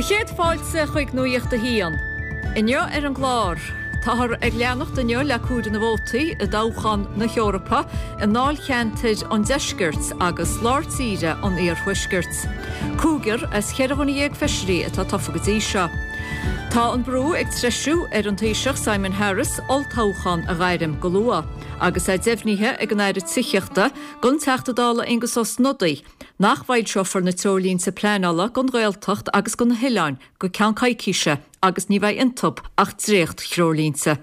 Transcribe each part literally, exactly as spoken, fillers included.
Do chéad fáilte chuig Nuacht a hAon. Inniu ar an gclár, táthar ag leanacht inniu le comhaireamh na vótaí i dtoghchán na hEorpa i ndáilcheantair an deiscirt agus lár tíre an iarthuaiscirt. Cúigear as cheithre dhuine dhéag feisirí atá tofa go dtí seo. Tá an brú ag treisiú ar an Taoiseach Simon Harris olltoghchán a ghairm go luath, agus é deimhnithe ag an Aire Tithíochta don Teachta Dála Aengus Ó Snodaigh, nach bhfoilseofar na treoirlínte pleanála don Ghaeltacht agus do na hoileáin go ceann coicíse agus ní bheidh iontu ach dréacht-threoirlínte.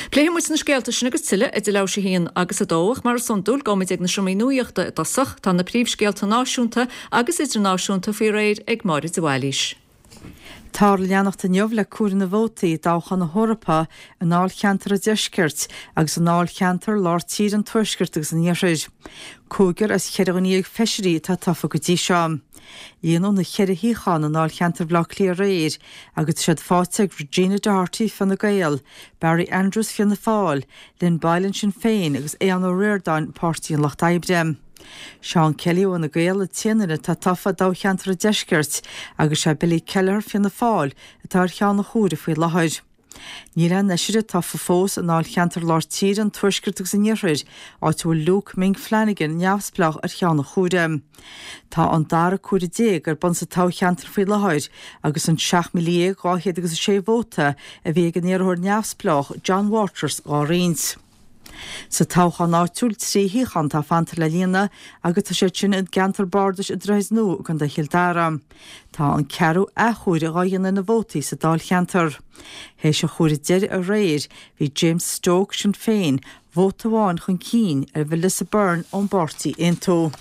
Pléifidh muid na scéalta sin agus tuilleadh idir leathuair théis a haon agus a dó ach mar is iondúil gabhfaimid ag na seomraí nuachta i dtosach tá na príomhscéalta náisiúnta agus idirnáisiúnta faoi réir ag Máire de Bhailís. Tá leanacht inniu le comhaireamh na vótaí i dtoghchán na hEorpa i ndáilcheantar an deiscirt agus i ndáilcheantar lár tíre an tuaiscirt agus an iarthair. Cúigear as cheithre dhuine dhéag feisirí atá tofa go dtí seo. Líonadh na ceithre shuíochán i ndáilcheantar Bhaile Átha Cliath aréir agus tá siad faighte ag Regina Doherty Fine Gael, Barry Andrews Fianna Fáil, Lynn Boylan Sinn Féin agus Aodhán Ó Ríordáin Páirtí an Lucht Oibre. Seán Kelly ó Fhine Gael an t-aon duine atá tofa i dtoghcheantar an deiscirt agus sé Billy Kelleher Fianna Fáil atá ar cheann an chomhairimh faoi láthair. Níl aon fheisire tofa fós i ndáilcheantar lár tíre an tuaiscirt agus an iarthair, áit a bhfuil Luke Ming Flanagan neamhspleách ar cheann an chomhairimh. Tá an dara comhaireamh déag ar bun sa toghcheantar faoi láthair agus an seacht míle dhéag dhá chéad agus a sé vóta a bhí ag an iarrthóir neamhspleách John Waters dhá roinnt. Sa toghchán áitiúil trí shuíochán atá fanta le líonadh agus tá siad sin i gceantar bardais an Droichid Nua i gContae Chill Dara. Tá an ceathrú athchomhaireamh dhá dhéanamh ar na vótaí sa dáilcheantar. Théis an chomhairimh deiridh aréir bhí James Stoke Sinn Féin vóta amháin chun cinn ar Melissa Byrne ón bpáirtí Aontú.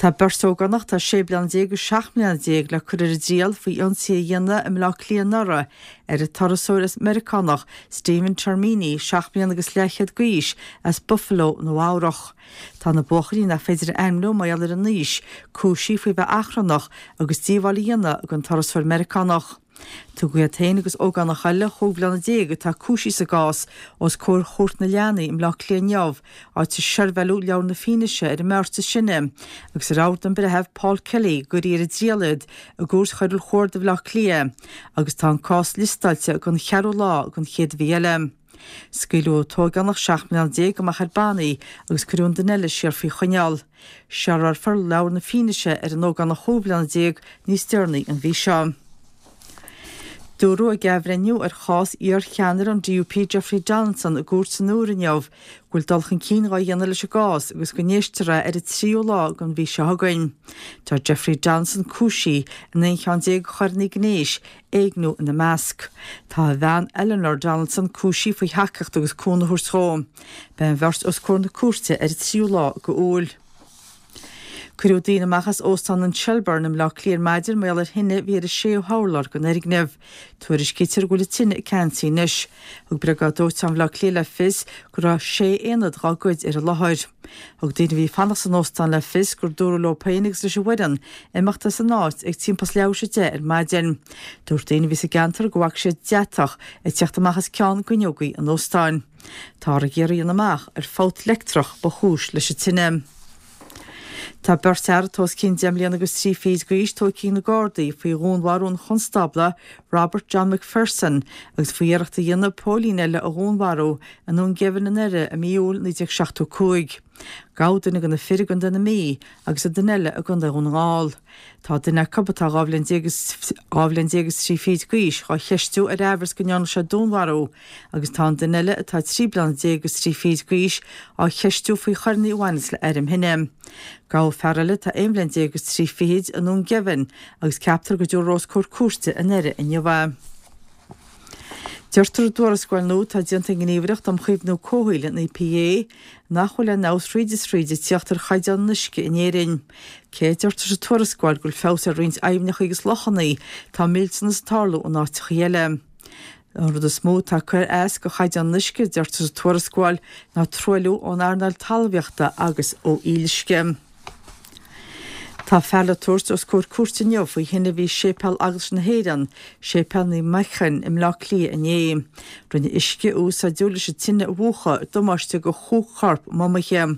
Tá beirt ógánach atá sé bliana déag agus seacht mbliana déag le cur ar a dtriail faoi ionsaí a dhéanamh i mBaile Átha Cliath anuraidh ar an turasóir as Meiriceánach Stephen Termini, seacht mbliana agus leathchéad d'aois, as Buffalo, Nua Eabhrach. Tá na buachaillí nach féidir a ainmniú mar gheall ar a n-aois, cúisithe faoi bheith achrannach agus díobháil a dhéanamh don turasóir Meiriceánach. Tugadh iad féin agus ógánach eile chúig bliana déag atá cúisithe sa gcás os comhair Chúirt na Leanaí i mBaile Átha Cliath inniu, áit a seirbheáladh leabhar na fianaise ar an mbeirt is sine agus ar rabhadh don bhreitheamh Paul Kelly go gcuirfí ar a dtriail iad i gCúirt Choiriúil Chuarda Bhaile Átha Cliath agus tá an cás liostáilte don cheathrú lá den chéad mhí eile. Scaoileadh an t-ógánach seacht mbliana déag amach ar bannaí agus cuireadh an duine eile siar faoi choinneáil. Seirbheálfar leabhar na fianaise ar an ógánach chúig bliana déag níos deireanaí an mhí seo. Dúradh ag athbhreithniú ar chás iar-cheannaire an DUP Jeffrey Donaldson i gcúirt san Iúr inniu go bhfuil dul chun cinn dhá dhéanamh leis an gcás agus go n-éistfear é ar an tríú lá den mhí seo chugainn. Tá Jeffrey Donaldson cúisithe in aon cheann déag de choireanna gnéis, éigniú ina measc. Tá a bhean Eleanor Donaldson cúisithe faoi thacaíocht agus cúnamh a thabhairt dó. Beidh an bheirt os comhair na cúirte ar an tríú lá d'Iúil. Cuireadh daoine amach as Óstán an Shelbourne i mBaile Átha Cliath ar maidin mar gheall ar thine a bhí ar an séú hurlár den fhoirgneamh. Tuairiscítear go bhfuil an tine ceansaithe anois. Thug Briogáid Dóiteáin Bhaile Átha Cliath le fios go raibh sé aonad dhá gcuid ar an láthair. Thug daoine a bhí ag fanacht san óstán le fios gur dúradh leo féin agus leis an bhfoireann imeacht as an áit ag timpeall leathuair théis a deich ar maidin. Dúirt daoine a bhí sa gceantar go bhfaca siad deatach ag teacht amach as ceann d'fhuinneogaí an óstáin. Táthar ag iarraidh a dhéanamh amach ar fabht leictreach ba chúis leis an tine. Tá beirt fhear atá os cionn deich mbliana agus trí fichid d'aois tógtha ag na Gardaí faoi dhúnmharú an chonstábla Robert John McPherson agus faoi iarracht a dhéanamh póilín eile a dhúnmharú i nDún Geimhin i nDoire i mí Iúil naoi déag seachtó cúig. Gabhadh duine de na fir i gContae na Mí agus an duine eile i gContae Dhún na nGall. Tá duine acu atá dhá bhliain déag is dhá bhliain déag is trí fichid d'aois dhá cheistiú ar aimhreas go ndearna sé dúnmharú agus tá an duine eile atá trí bliana déag is trí fichid d'aois á cheistiú faoi choireanna a bhaineanns le airm thine. Gabhadh fear eile atá aon bhliain déag is trí fichid i nDún Geimhin agus ceaptar go dtabharfar os comhair cúirte i nDoire inniu é. Deirtear i dtuarascáil nua atá déanta ag an nGníomhaireacht um Chaomhnú Comhshaoil, an EPA, nach bhfuil aon fheabhas thríd is thríd ag tíocht ar chaighdeán an uisce in Éirinn. Cé a deirtear sa tuarascáil go bhfuil feabhas ar roinnt aibhneacha agus lochanna, tá millteanas ag tarlú in áiteacha eile. An rud is mó atá ag cur as do chaighdeán an uisce, a deirtear sa tuarascáil, ná truailliú ón earnáil talmhaíochta agus ó fhuíolluisce. Tá fear le tabhairt os comhair cúirte inniu faoi thine a bhí i Séipéal Eaglais na hÉireann, Séipéal Naomh Manchan i mBleá Cliath inné. Rinne uisce a úsáideadh leis an tine a mhúchadh damáiste do chúig chorp mumaithe.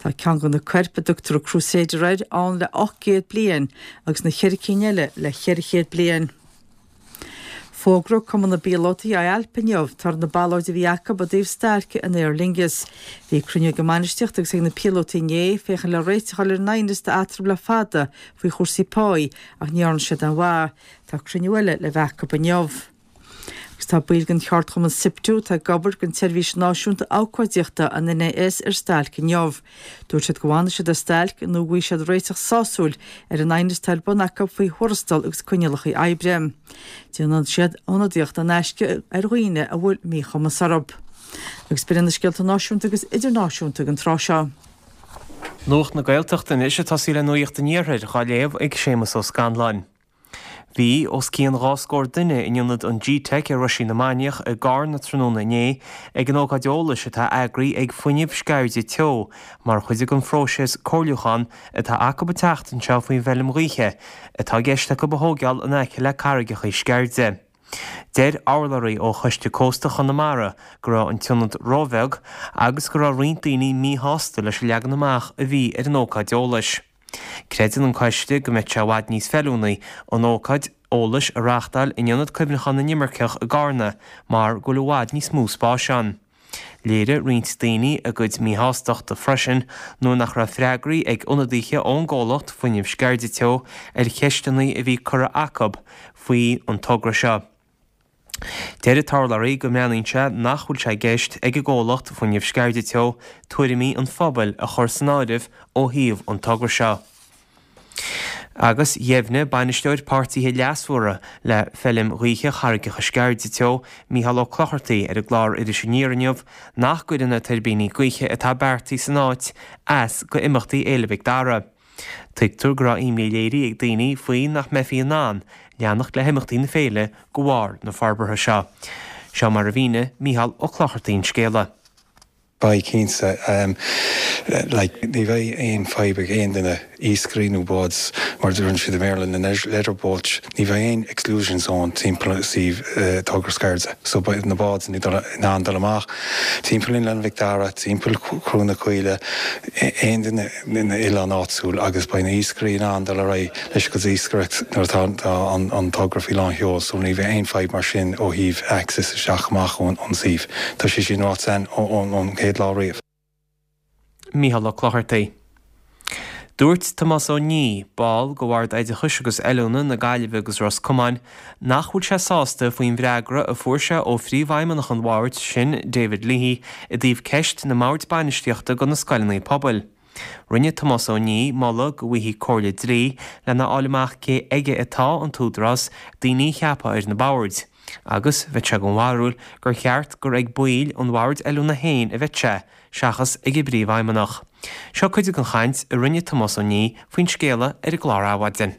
Tá ceann de na coirp, a dtugtar an Crusader air, ann le ocht gcéad bliain agus na ceithre cinn eile le ceithre chéad bliain. Fógraíodh Cumann na bPíolótaí I A L P inniu toradh na ballóide a bhí acu i dtaobh stailce an Aer Lingus. Bhí cruinniú ag an mbainistíocht agus ag na píolótaí inné féachaint le réiteach a fháil ar an aighneas atá eatarthu le fada faoi chúrsaí páí ach ní dhearna siad aon mhaith. Tá cruinniú eile le bheith acu inniu. Agus tá baill den cheardchumann SIPTU atá ag obair don tSeirbhís Náisiúnta Abhcóideachta an N A S ar stailc inniu. Dúirt siad go bhfanfaidh siad ar stailc nó go bhfaighidh siad réiteach sásúil ar an aighneas atá ar bun acu faoi thuarastal agus coinníollacha oibre. Déanann siad ionadaíocht in aisce ar dhaoine a bhfuil míchumas orthu. Agus b'in na scéalta náisiúnta agus idirnáisiúnta an tráth seo. Nuacht na Gaeltachta anois ag tosaí le Nuacht an Iarthair á léamh ag Séamus Ó Scanláin. Bhí os cionn dhá scór duine in ionad an G-Tech ar Roisín na Mainiach i gCarna tráthnóna inné ag an ócáid eolais atá eagraithe ag Fuinneamh Sceirde Teo mar chuid den phróiseas comhairliúcháin atá acu an tseachtain seo faoin bhfeilm ghaoithe atá i gceist acu a thógáil in aice le Carraigeacha Sceirde. Deir urlabhraí ó Choiste Cósta Chonamara go raibh an t-ionad róbheag agus go raibh roinnt daoine míshásta leis an leagan amach a bhí ar an ócáid eolais. Creideann an coiste go mbeadh sé i bhfad níos feiliúnaí an ócáid eolais a reáchtáil in ionad cuimhneacháin na n-inimirceach i gCarna mar go bhfuil i bhfad níos mó spáis ann. Léirigh roinnt daoine a gcuid míshástachta freisin nuair nach raibh freagraí ag ionadaithe ón gcomhlacht Fuinneamh Sceirde Teo ar cheisteanna a bhí curtha acu faoi an togra seo. Deir an t-urlabhraí go mbreathnaíonn sé nach bhfuil sé i gceist ag an gcomhlacht Fuinneamh Sceirde Teo tuairimí an phobail a chur san áireamh ó thaobh an togra seo. Agus dheimhnigh bainisteoir páirtithe leasmhara le feilm ghaoithe Charraigeacha Sceirde Teo Mícheál Ó Clochartaigh ar an gclár Iris Aniar inniu nach gcuireann na tuirbíní gaoithe atá beartaithe san áit as go imeachtaí Fhéile Mhic Dara. Tuigtear go raibh imní léirithe ag daoine faoi nach mbeifí in ann leanacht le himeachtaí na féile de bharr na forbartha seo. Seo mar a mhínigh Mícheál Ó Clochartaigh an scéala. Beidh cinnte um, like, ní bheidh aon fadhb ag aon duine iascairí nó báid mar deireann siad i mBéarla na leisure boats ní bheidh aon exclusion zone timpeall suíomh uh, togra Sceirde. So beidh na báid in ann dul amach timpeall Oileán Mhic Dara, timpeall Chrú na Caoile aon duine ina oileán áitiúil agus beidh na iascairí in ann dul ar aghaidh leis go iascaireacht nuair atá an, an togra faoi lán sheol, so ní bheidh aon fadhb mar sin ó thaobh access isteach amach ón ón suíomh. Tá sé sin ráite ón chéad lá riamh. Mícheál Ó Clochartaigh. Dúirt Tomás Ó Ní, ball de Bhord Oideachais agus Oiliúna na Gaillimhe agus Ros Comáin, nach bhfuil sé sásta faoin bhfreagra a fuair sé ó phríomhfheidhmeannach an bhoird sin David Leahy i dtaobh ceist na mbord bainistíochta do na scoileanna pobail. Rinne Tomás Ó Ní moladh go bhfaighfí comhairle dlí lena fháil amach cé aige atá an t-údarás daoine a cheapadh ar na boird. Agus bheadh sé den bharúil gur cheart gur ag baill an bhoird oiliúna féin a bheadh sé, seachas ag an bpríomhfheidhmeannach. Seo cuid den chaint a rinne Tomás Ó Ní faoin scéala ar an gclár Adhmhaidin.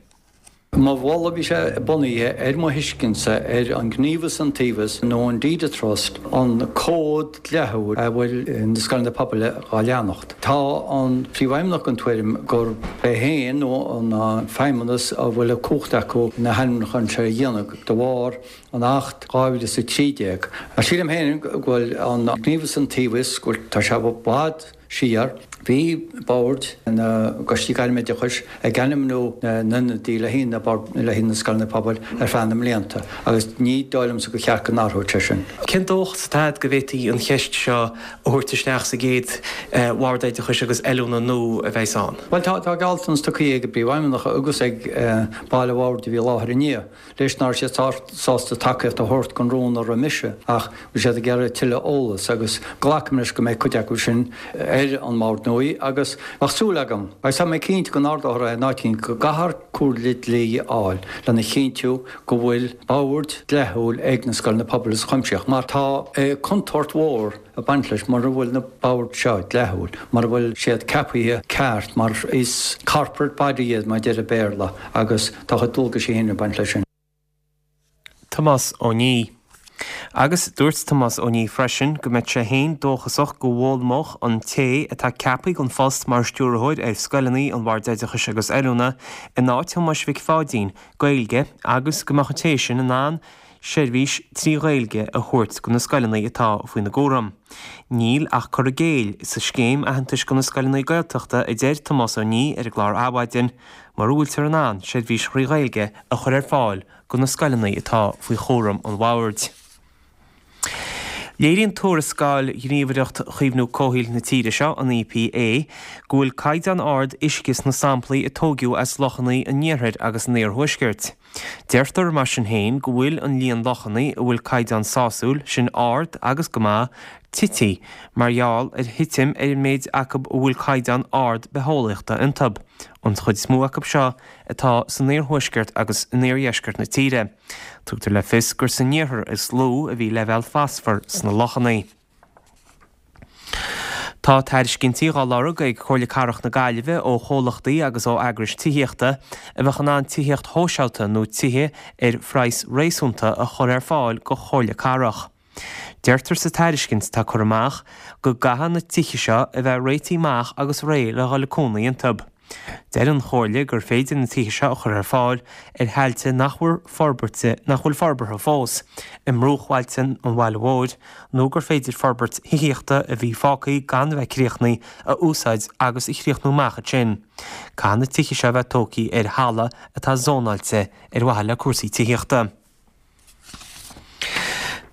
Mo mholadh bhí sé bunaithe ar mo thuiscintse ar an gníomhas iontaobhas nó an deed of trust an cód dlíthiúil a bhfuil na scoileanna pobail á leanacht. Tá an príomhfheidhmeannach den tuairim gur é féin nó an feidhmeannas a bhfuil a cumhacht acu na hainmniúcháin seo a dhéanamh de bharr an Acht dhá mhíle is a trí déag. Sílim féin go bhfuil an gníomhas iontaobhas go bhfuil tá sé i bhfad siar. Bhí boird na gcoistí gairmoideachais ag ainmniú na n-ionadaí le haghaidh na le haghaidh na scoileanna pobail ar feadh na mblianta agus ní dóigh liomsa gur cheart go n-athródh sé sin. Cén dóchas atá agat go bhféadfaí an cheist seo a thabhairt isteach sa gcéad bhord oideachais agus oiliúna nua a bheas ann? Bhuel tá tá gealltanas tugtha ag an bpríomhfheidhmeannach agus ag baill an bhoird a bhí i láthair inné. Leis nach raibh siad sásta tacaíocht a thabhairt don rún a rith mise ach bhí siad ag iarraidh tuilleadh eolas agus glacaim leis go mbeidh cuid acu sin ar an mbord nua agus bheadh súil agam agus tá mé cinnte go n-ardófar é in áit éigin go gcaithfear comhairle dlí a fháil lena chinntiú go bhfuil bord dlíthiúil ag na scoileanna pobail is cuimsitheach mar tá contúirt mhór ag baint leis mura bhfuil na boird seo dlíthiúil mura bhfuil siad ceaptha ceart mar is corporate body iad mar deir an Béarla agus tá a gcuid dualgaisí féin ag baint leis sin. Tomás Ó Ní. Agus dúirt Tomás Ó Niadh freisin go mbeadh sé féin dóchasach go bhfoghlaimeodh an té atá ceaptha don phost mar stiúrthóir ar scoileanna an Bhoird Oideachais agus Oiliúna in áit Thomáis Mhic Pháidín Gaeilge agus go mbeadh an té sin in ann seirbhís trí Ghaeilge a thabhairt do na scoileanna atá faoina gcúram. Níl ach cur i gcéill sa scéim aitheantais do na scoileanna Gaeltachta a deir Tomás Ó Niadh ar an gclár Adhmhaidin mura bhfuiltear in ann seirbhís thrí Ghaeilge a chur ar fáil do na scoileanna atá faoi chúram an bhoird. Léiríonn tuarascáil Ghníomhaireacht Chaomhnú Comhshaoil na tíre seo, an EPA, go bhfuil caighdeán ard uisce sna samplaí a tógadh as lochanna an iarthair agus an iarthuaiscirt. Deirtear mar sin féin go bhfuil an líon lochanna a bhfuil caighdeán sásúil, sin ard agus go maith, tite mar gheall ar thitim ar an méid acu a bhfuil caighdeán ard bitheolaíochta iontu, an chuid is mó acu seo atá san iarthuaisceart agus in iardheisceart na tíre. Tugtar le fios gur san iarthar is lú a bhí leibhéal fosfair sna lochanna. Tá tairiscintí á lorg ag Comhairle Cathrach na Gaillimhe ó chomhlachtaí agus ó eagrais tithíochta a bheadh in ann tithíocht shóisialta nó tithe ar phraghas réasúnta a chur ar fáil do Chomhairle Cathrach. Deirtear sa tairiscint atá curtha amach go gcaithfidh na tithe seo a bheith réitithe amach agus réidh le dhul ag cónaí iontu. Deir an Chomhairle gur féidir na tithe seo a chur ar fáil ar thailte nach bhfuil forbartha nach bhfuil forbartha fós, i mbruachbhailte an bhaile mhóir, nó gur féidir forbairt thithíochta a bhí fágtha gan bheith críochnaithe a úsáid agus a chríochnú amach ansin. Caithfidh na tithe seo a bheith tógtha ar thalamh atá zónáilte ar mhaithe le cúrsaí tithíochta.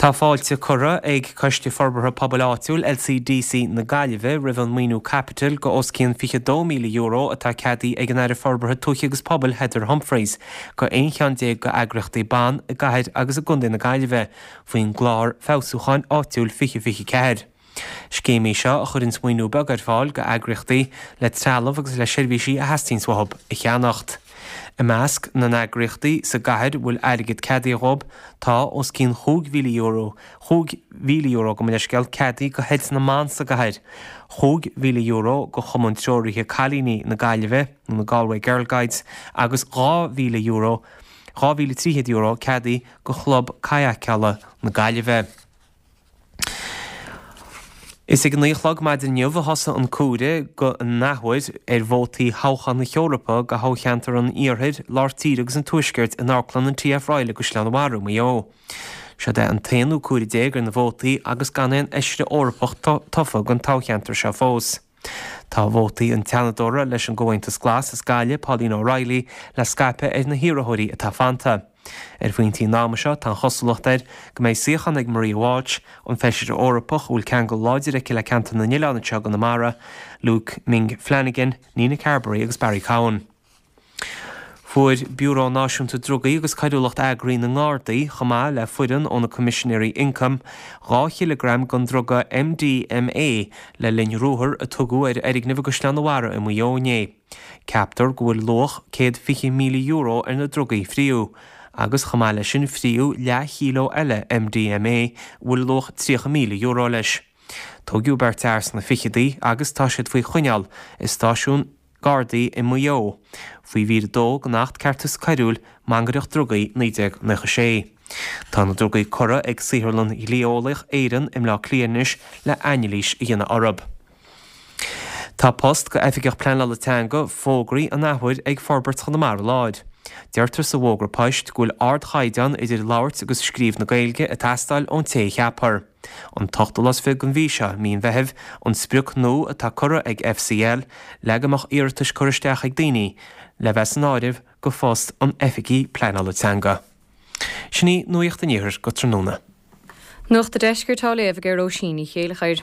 Tá fáilte curtha ag Coiste Forbartha Pobail Áitiúil LCDC na Gaillimhe roimh an maoiniú caipitil go os cionn fiche dó míle euro atá ceadaithe ag an Aire Forbartha Tuaithe agus Pobail Heather Humphreys go aon cheann déag d'eagraíochtaí ban i gcathair agus i gContae na Gaillimhe faoin gclár feabhsúcháin áitiúil fiche fiche ceathair. Scéim í seo a chuireann maoiniú beag ar fáil go eagraíochtaí le trealamh agus le seirbhísí a theastaíonn uathu a cheannacht. I measc na n-eagraíochtaí sa gcathair a bhfuil airgead ceadaithe dhóibh tá os cionn chúig mhíle euro, chúig mhíle euro gabh mo leithscéal, ceadaithe go Heilt na mBan sa gcathair, chúig mhíle euro go Chumann Treoraithe Cailíní na Gaillimhe, nó na Galway Girl Guides, agus dhá mhíle euro, dhá mhíle trí chéad euro ceadaithe go Chlub Cadhcála na Gaillimhe. Is ag a naoi a chlog maidin inniu a thosaigh an comhaireamh den athuair ar vótaí thoghchán na hEorpa do thoghcheantar an Iarthair, Lár Tíre agus an Tuaiscirt in Amharclann an TF Royal i gCaisleán an Bharraigh, Maigh Eo. Seod é an t-aonú comhaireamh déag ar na vótaí agus gan aon fheisire Eorpach tofa don toghcheantar seo fós. Tá vótaí an tSeanadóra leis an gComhaontas Glas as Gaillimh, Pauline O'Reilly, le scaipeadh ar na hiarrthóirí atá fanta. Ar phointí an ama seo, tá an chosúlacht air go mbeidh suíochán ag Maria Walsh, an Feisire Eorpach a bhfuil ceangal láidir aici le ceantar na n-oileán anseo i gConamara, Luke Ming Flanagan, Nina Carberry agus Barry Cowen. Fuair Biúró Náisiúnta Drugaí agus Coiriúlacht Eagraithe na nGardaí, chomh maith le foireann ó na Coimisinéirí Ioncaim, dhá chileagram den druga MDMA le linn ruathar a tugadh ar fhoirgneamh i gCaisleán an Bharraigh i Maigh Eo inné. Ceaptar go bhfuil luach céad fiche míle euro ar na drugaí a fríodh, agus chomh maith leis sin fríodh leathchíleo eile MDMA a bhfuil luach tríocha míle euro leis. Tógadh beirt fhear sna fichidí agus tá siad faoi choinneáil i stáisiún Gardaí i Maigh Eo, faoi mhír a dó den Acht Ceartais Coiriúil, Mangaireacht Drugaí, naoi déag nócha sé. Tá na drugaí curtha ag Saotharlann Dhlí-Eolaíoch Éireann i mBleá Cliath anois le hainilís a dhéanamh orthu. Tá post go Oifigeach Pleanála Teanga fógraithe an athuair ag Forbairt Chonamara Láir. Deirtear sa bhfógra poist go bhfuil ardchaighdeán idir labhairt agus scríobh na Gaeilge ag teastáil ón té a cheapfar. An t-ochtú lá is fiche den mhí seo, mí an Mheithimh, an sprioc nua atá curtha ag FCL le go mbeadh iarratais curtha isteach ag daoine le bheith san áireamh go phost an Oifigigh Pleanála Teanga. Sin í Nuacht an Iarthair go tráthnóna. Nuacht an Deiscirt á léamh ag Róisín Ní Chéilleachair.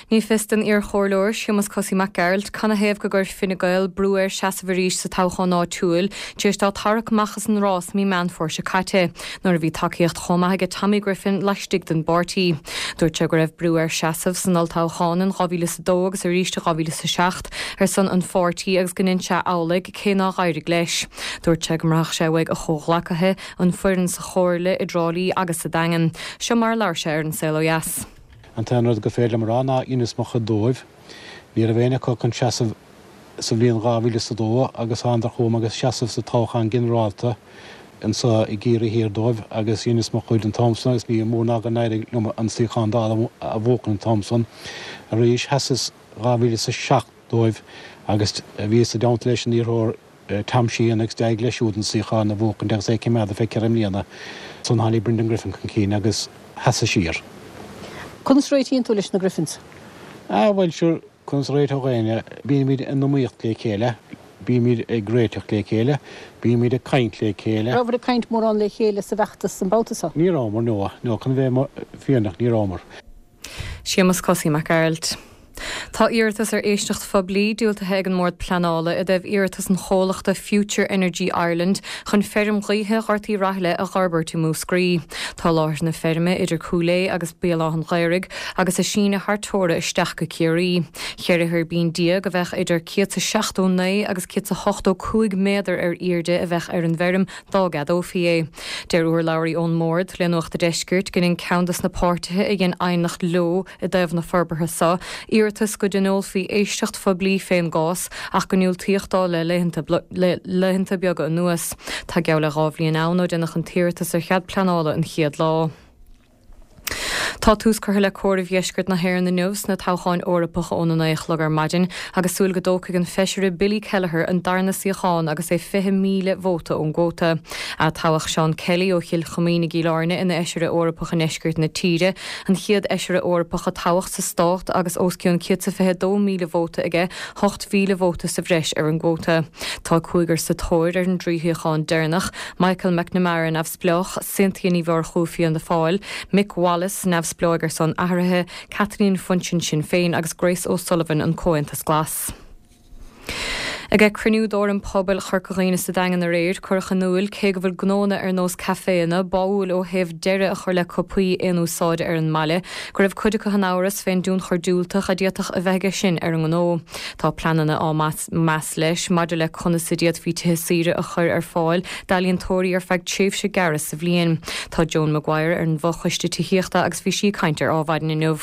Ní fios don iarchomhairleoir Séamus Cosaí Mac Gearailt canathaobh go gcuir Fine Gael brú air seasamh arís sa toghchán áitiúil tar éis dó tarrac amach as an rás mí Meán Fómhair seo caite, nuair a bhí tacaíocht chomh maith aige Tommy Griffin laistigh den bpáirtí. Dúirt sé go raibh brú air seasamh san olltoghchán in dhá mhíle is a dó agus arís i dhá mhíle is a seacht ar son an pháirtí agus go ndein sé amhlaidh cé nár éirigh leis. Dúirt sé go mbraithfeadh sé uaidh a chomhghleacaithe, an foireann sa Chomhairle, i dTrá Lí agus sa Daingean. Seo mar a labhair sé ar an Saol Ó Dheas. An t-aon rud gur féidir liom a rá ná dheineas mo chuid dóibh. Ní raibh éinne acu chun seasamh sa bhliain dhá mhíle is a dó agus thánadar chugam agus seasamh sa toghchán ginearálta anso i gCiarraí Thiar dóibh agus dheineas mo chuid an t-am san agus ní mór ná go n-éirigh liom an suíochán Dála a bhuachan an t-am san. Arís sheasas dhá mhíle is a seacht dóibh agus bhíos i dteannta leis an iarrthóir Tom Sheehan agus d'éirigh leis siúd an suíochán a bhuachaint agus é ag coimeád ar feadh ceithre mbliana. Ansan tháinig Brendan Griffin chun cinn agus sheasas siar. Conas a réitíonn tú leis na Griffins? Ah bhuel sure, conas a réiteodh éinne? Bímid in iomaíocht le chéile, bímid ag réiteach le chéile, bímid ag caint le chéile. Rabhabhair ag caint mórán le chéile sa bhfeachtas an babhta seo? Ní rabhamar, no, no, chun bheith fírinneach, ní rabhamar. Séamus Cosaí Mac Gearailt. Tá iarratas ar éisteacht phoiblí diúltaithe ag an mBord Pleanála i dtaobh iarratas an chomhlachta Future Energy Ireland chun feirm ghaoithe Ghort Uí Rathaille a dh'fhorbairt i Múscraí. Tá láthair na feirme idir Cúil Aodha agus Béal Átha an Ghaorthaidh agus a síneadh thar teora isteach go Ciarraí. Ceithre thuirbín déag a bheadh idir céad is seachtó naoi agus céad is ochtó cúig méadar ar airde a bheadh ar an bhfeirm dá gceadófaí é. Deir urlabhraí ón mBord le Nuacht a' Deiscirt go ndein ceann des na páirtithe a dhein aighneacht leo i dtaobh na forbartha seo iarratas go dtionólfaí éisteacht phoiblí fén gcás ach go ndiúltaíodh dó le laethanta beaga anuas. Tá geall le dhá bhliain ann ó deineadh an t-iarratas ar chead pleanála an chéad lá. Tá tús curtha le comhaireamh dheisceart na hÉireann inniu sna toghcháin Eorpacha óna naoi a chlog ar maidin agus súil go dtógfaidh an feisire Billy Kelleher an darna suíochán agus é fiche míle vóta ón gcuóta. Atoghadh Seán Kelly ó Chill Choimín i gCill Airne ina fheisire Eorpach i ndeisceart na tíre, an chéad fheisire Eorpach a toghadh sa stát agus os cionn céad is a fiche dó míle vóta aige, ocht mhíle vóta sa bhreis ar an gcuóta. Tá cúigear sa tóir ar an dtrí shuíochán deireanach, Michael McNamara, Neamhspleách, Cynthia Ní Mhurchú, Fianna Fáil, Mick Wallace, Neamhspleách ar son Athraithe, Kathleen Funchion, Sinn Féin agus Grace O'Sullivan, an Comhaontas Glas. Ag cruinniú d'Fhóram Pobail Chorca Dhuibhne sa Daingean aréir, cuireadh in iúl cé go bhfuil gnónna ar nós caiféanna báúil ó thaobh deireadh a chur le cupaí aon úsáide ar an mbaile, go raibh cuid acu in amhras fén dtionchar diúltach a d'fhéadfadh a bheith aige sin ar an ngnó. Tá pleananna á meas leis maidir le conas a d'fhéadfaí tithe saoire a chur ar fáil d'ealaíontóirí ar feadh tréimhse gearra sa bhliain. Tá Joan Maguire ar an bhfochoiste tithíochta agus bhí sí ag caint ar Adhmhaidin inniu.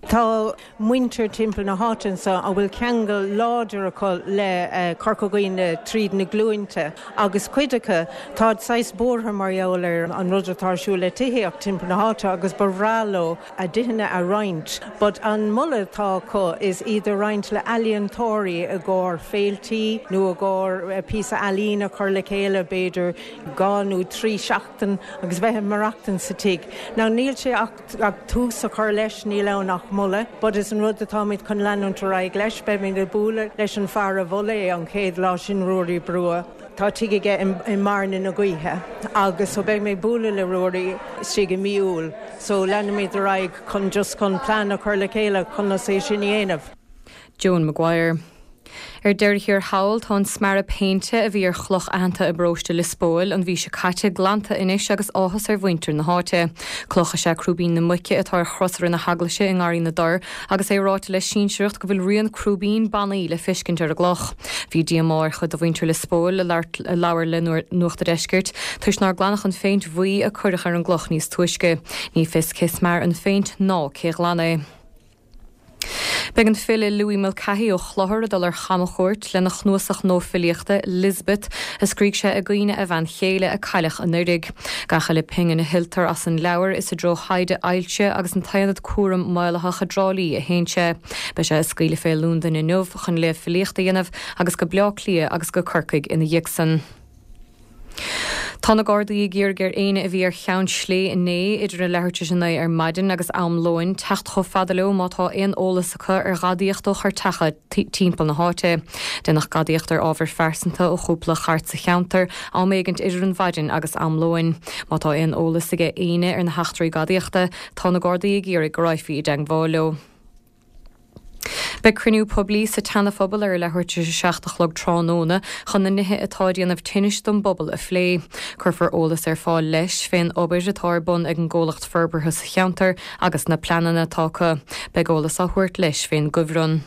Tá muintir timpeall na háite anseo a bhfuil ceangal láidir acu le Corca Dhuibhne tríd na glúinte agus cuid acu táid saghas buartha mar gheall ar an rud atá ar siúl le tithíocht timpeall na háite agus ba bhreá leo a dtithe a roinnt. But an moladh atá acu is iad a roinnt le ealaíontóirí i gcomhair féiltí nó i gcomhair píosa ealaíne a chur le chéile b'fhéidir dhá nó trí seachtain agus bheith ag maireachtaint sa tigh. Now níl sé ach ach tús a chur leis níl ann ach moladh, but is an rud atáimid chun leanúint ar aghaidh leis, beimid ag bualadh leis an fear a mhol é an chéad lá sin Ruairí Brugha. Tá tigh aige i mBearna na Gaoithe agus so beidh mé ag bualadh le Ruairí istigh i mí Iúil, so leanfaimid ar aghaidh chun just chun plean a chur le chéile conas é sin a dhéanamh. Joan Maguire. Ar deireadh thiar thall, tá an smearadh péinte a bhí ar chloch aitheanta i bparóiste Liospóil an mhí seo caite glanta anois agus áthas ar mhuintir na háite. Cloch is ea Crúibín na Muice atá ar chrosaire na heaglaise i nGarraí na dTor agus é ráite le sinsearacht go bhfuil rian crúibín bannaí le feiscint ar an gcloch. Bhí díomá ar chuid de mhuintir Liospóil a labhair le Nuacht a' Deiscirt toisc nár glanadh an phéint bhuí a cuireadh ar an gcloch níos túisce. Ní fios cé smear an phéint ná cé ghlan é. Beidh an file Louis Mulcahy ó Chlochar ag dul ar chamchuairt lena chnuasach nua filíochta, Lisbeth, a scrígh sé i gcuimhne a bhean chéile a cailleadh anuraidh. Gach uile phingin a thuilltear as an leabhar is i dtreo thaighde ailse agus an t-aonad cúram maolaitheach i dTrá Lí a théann sé. Beidh sé ag scaoileadh fé Londain inniu chun léamh filíochta a dhéanamh agus go Bleá Cliath agus go Corcaigh ina dhiaidh san. Tá na Gardaí ag iarraidh ar éinne a bhí ar Cheann Slé inné idir a leathuair tar éis a naoi ar maidin agus am lóin teacht chomh fada leo má tá aon eolas acu ar ghadaíocht ó chairteacha timpeall na háite. Deineadh gadaíocht ar ábhair phearsanta ó chúpla chairt sa cheantar am éigint idir an mhaidin agus am lóin. Má tá aon eolas aige éinne ar na heachtraí gadaíochta, tá na Gardaí ag iarraidh go raghfaí i dteagmháil leo. Beidh cruinniú poiblí sa tSeana-Phobal ar a leathuair tar éis a seacht a chlog tráthnóna chun na nithe atá ag déanamh tinnis don bpobal a phlé. Cuirfear eolas ar fáil leis fén obair atá ar bun ag an gcomhlacht forbartha sa cheantar agus na pleananna atá acu. Beidh eolas á thabhairt leis fén gcuibhreann.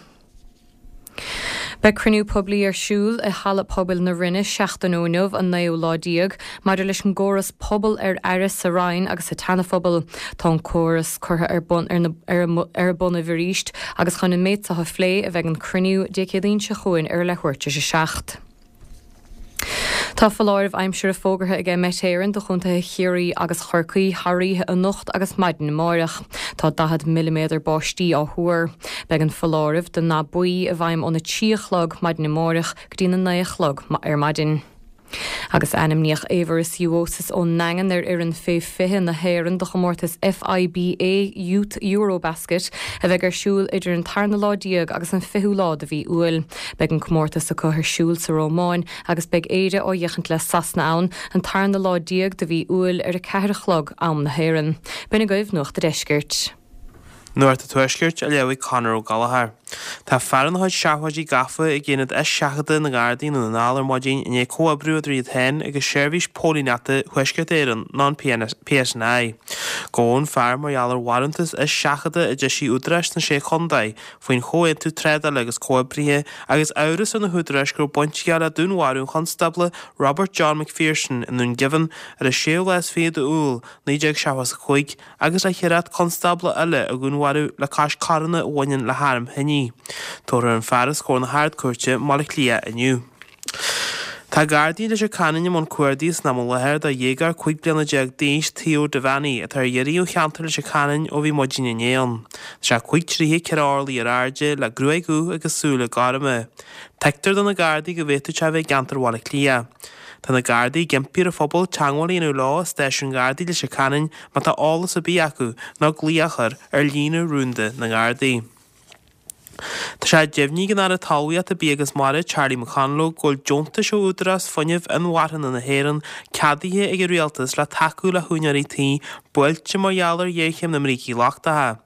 Beidh cruinniú poiblí ar siúl i Halla Pobail na Rinne seachtain ó inniu, an naoú lá déag, maidir leis an gcóras Pobal ar Aire sa Rinn agus sa tSeana-Phobal. Tá an córas curtha ar bun ar na ar a bonnaibh arís agus chun an méid seo a phlé a bheidh an cruinniú Dé Céadaoin seo chugainn ar a leathuair tar éis a seacht. Tá foláireamh aimsire fógartha ag Met Éireann do chontaetha Chiarraí agus Chorcaí thar oíche anocht agus maidin amárach. Tá daichead milliméadar báistí á thuar. Beidh an foláireamh den ndath buí i bhfeidhm óna trí a chlog maidin amárach go dtí na naoi a chlog ar maidin. Agus ainmníodh Éibhear Juosis ón nDaingean ar fhoireann fé fiche na hÉireann do chomórtas FIBA Youth Eurobasket a bheidh ar siúl idir an tarna lá déag agus an fichiú lá de mhí Iúil. Beidh an comórtas acu ar siúl sa Rómáin agus beidh Éire á fhéachaint le Sasana ann an tarna lá déag de mhí Iúil ar a ceathair a chlog am na hÉireann. B'in agaibh Nuacht an Deiscirt. Nuacht an Tuaiscirt á léamh ag Conor Ó Gallchóir. Tá fear ina chuid seafóidí gafa ag aonad eiseachadta na nGardaí i nDún na nGall ar maidin i ndiaidh comhoibriú idir iad féin agus Seirbhís Póilíneachta Thuaisceart Éireann nó an PSNI. Gabhadh an fear mar gheall ar bharántas eiseachadta a d'eisigh údaráis sna Sé Chontae faoin Chomhaontú Trádála agus Comhoibrithe agus amhras ar na húdaráis go raibh baint aige le dúnmharú an Chonstábla Robert John McPherson i nDún Geimhin ar an séú lá is fiche d'Iúil naoi déag seachtó a cúig agus le hoiread constábla eile a dhúnmharú le cois coireanna a bhaineann le hairm thine. Tabharfar an fear os comhair na hArd-Chúirte i mBaile Átha Cliath inniu. Tá Gardaí i Leitir Ceanainn i mbun cuardaigh san am i láthair do dhéagóir cúig bliana déag d'aois, Theo Devaney, atá ar iarraidh ó cheantar Leitir Ceanainn ó bhí maidin inné ann. Tá sé cúig troithe ceithre orlaí ar airde, le gruaig dhubh agus súile gorma. Tuigtear do na Gardaí go bhféadfadh sé a bheith i gceantar Bhaile Átha Cliath. Tá na Gardaí ag impí ar an phobal teagmháil a dhéanamh leo i Stáisiún Gardaí Leitir Ceanainn má tá eolas ar bith acu nó glaoch a chur ar líne rúnda na nGardaí. Tá sé deimhnithe ag an Aire Talmhaíochta, Bia agus Mara, Charlie McConalogue, go bhfuil deontais ó Údarás Fuinnimh Inmharthana na hÉireann ceadaithe ag an Rialtas le tacú le húinéirí tí buailte mar gheall ar ghéarchéim na mbrící lochtacha.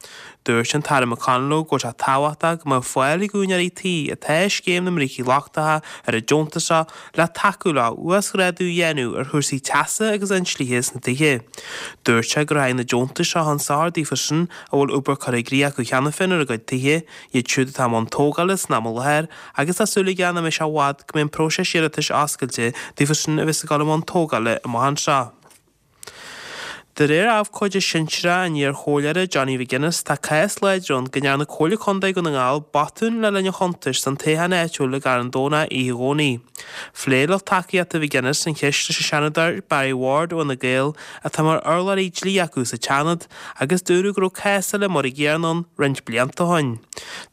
Dúirt an tAire McConalogue go bhfuil sé tábhachtach go mbeadh fáil ag úinéirí tí atá i scéim na mbrící lochtacha ar an deontas seo le tacú leo uasghrádú a dhéanamh ar chúrsaí teasa agus inslithe sna tithe. Dúirt sé go rachaidh na deontais seo chun sochair daofa sin a bhfuil obair curtha i gcrích acu cheana féin ar a gcuid tithe, iad siúd atá i mbun tógála san am i láthair agus tá súil aige nach mbeidh sé i bhfad go mbeidh an próiseas iarratais oscailte daofa sin a bheas ag dul i mbun tógála amach anseo. De réir abhcóide sinsearach an iar-chomhairleora Johnny McGuinness, tá cás láidir ann go ndearna Comhairle Contae Dhún na nGall botún le linn an chuntais don toghchán áitiúil i gCarn Domhnach oíche Dhomhnaigh. Phléigh lucht tacaíochta McGuinness an cheist leis an Seanadóir Barry Ward ó Fhine Gael, atá mar urlabhraí dlí acu sa tSeanad, agus dúradh go raibh cás eile mar an gcéanna ann roinnt blianta ó shin.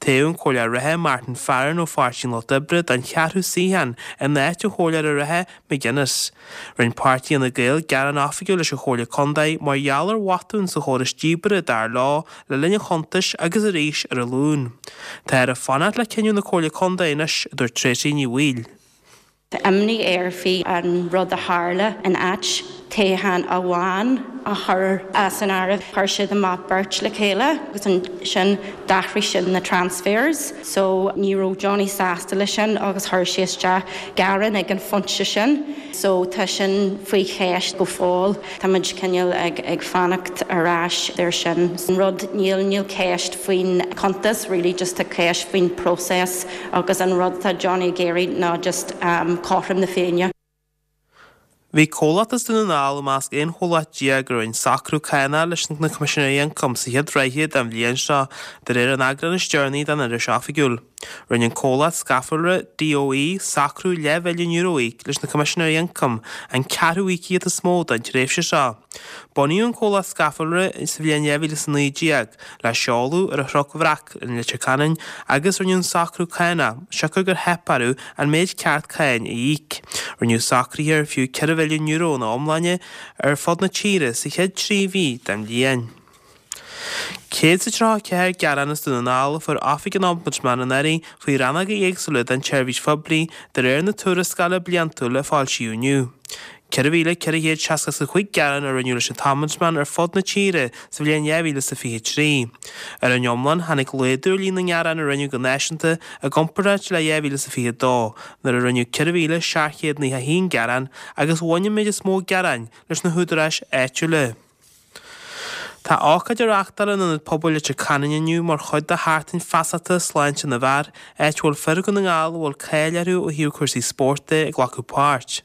Toghadh an Comhairleoir reatha Martin Farren ó Pháirtí an Lucht Oibre don cheathrú suíochán in áit an chomhairleora reatha McGuinness. Rinne páirtí Fhine Gael gearán oifigiúil leis an Chomhairle Contae mar gheall ar bhotún sa chóras díbeartha dar leo le linn an chuntais agus arís ar an Luan. Táthar ag fanacht le cinneadh na Comhairle Contae anois, a dúirt Tracey Ní Bhaoill. Tá imní air faoi an rud a tharla in áit toghchán amháin a chur as an áireamh. Chuir siad amach beirt le chéile agus ansin d'athraigh siad na transfers so ní raibh Johnny sásta leis sin agus chuir sé isteach gearán ag an phointe sin. So tá sin faoi cheist go fóill. Táimid cineál ag ag fanacht ar ais ar sin. An rud níl níl ceist faoin cuntas really just tá ceist faoin process agus an rud tá Johnny ag iarraidh ná just um, cothrom na Féinne. Bhí comhlacht as Dún na nGall i measc aon chomhlacht déag a rinne socrú cánach leis na Coimisinéirí Ioncaim sa chéad ráithe den bhliain seo, de réir an eagráin is deireanaí den iris oifigiúil. Rinne an comhlacht scafallra DOE socrú leathmhilliún euro a íoc leis na Coimisinéirí Ioncaim, an ceathrú íocaíocht is mó don tréimhse seo. Bunaíodh an comhlacht scafallra sa bhliain dhá mhíle is a naoi déag le seoladh ar an Chnoc Bhreac in Leitir Ceanainn agus rinneadh an socrú cánach siocair gur theip orthu an méid ceart cáin a íoc. Rinneadh socruithe ar fiú ceithre mhilliún euro ina iomláine ar fud na tíre sa chéad trí mhí den bhliain. Céad is a tríocha a ceathair gearán as Dún na nGall a fuair Oifig an Ombudsman anuraidh faoi rannóga éagsúla den tseirbhís phoiblí de réir na tuarascála bliantúil a foilsíodh inniu. Ceithre mhíle ceithre chéad seasca is a cúig gearán a rinneadh leis an tOmbudsman ar fud na tíre sa bhliain dhá mhíle is a fiche trí. Ar an iomlán, tháinig laghdú ar líon na ngearán a rinneadh go náisiúnta i gcomparáid le dhá mhíle is a fiche dó, nuair a rinneadh ceithre mhíle seacht gcéad nócha a haon gearán agus bhain an méid is mó gearáin leis na húdaráis áitiúla. Tá ócáid á reáchtáil in Ionad Pobail Leitir Ceanainn inniu mar chuid de Sheachtain Feasachta Sláinte na bhFear, áit a bhfuil fir Dhún na nGall a bhfuil cáil orthu ó thaobh cúrsaí spóirt de ag glacadh páirt.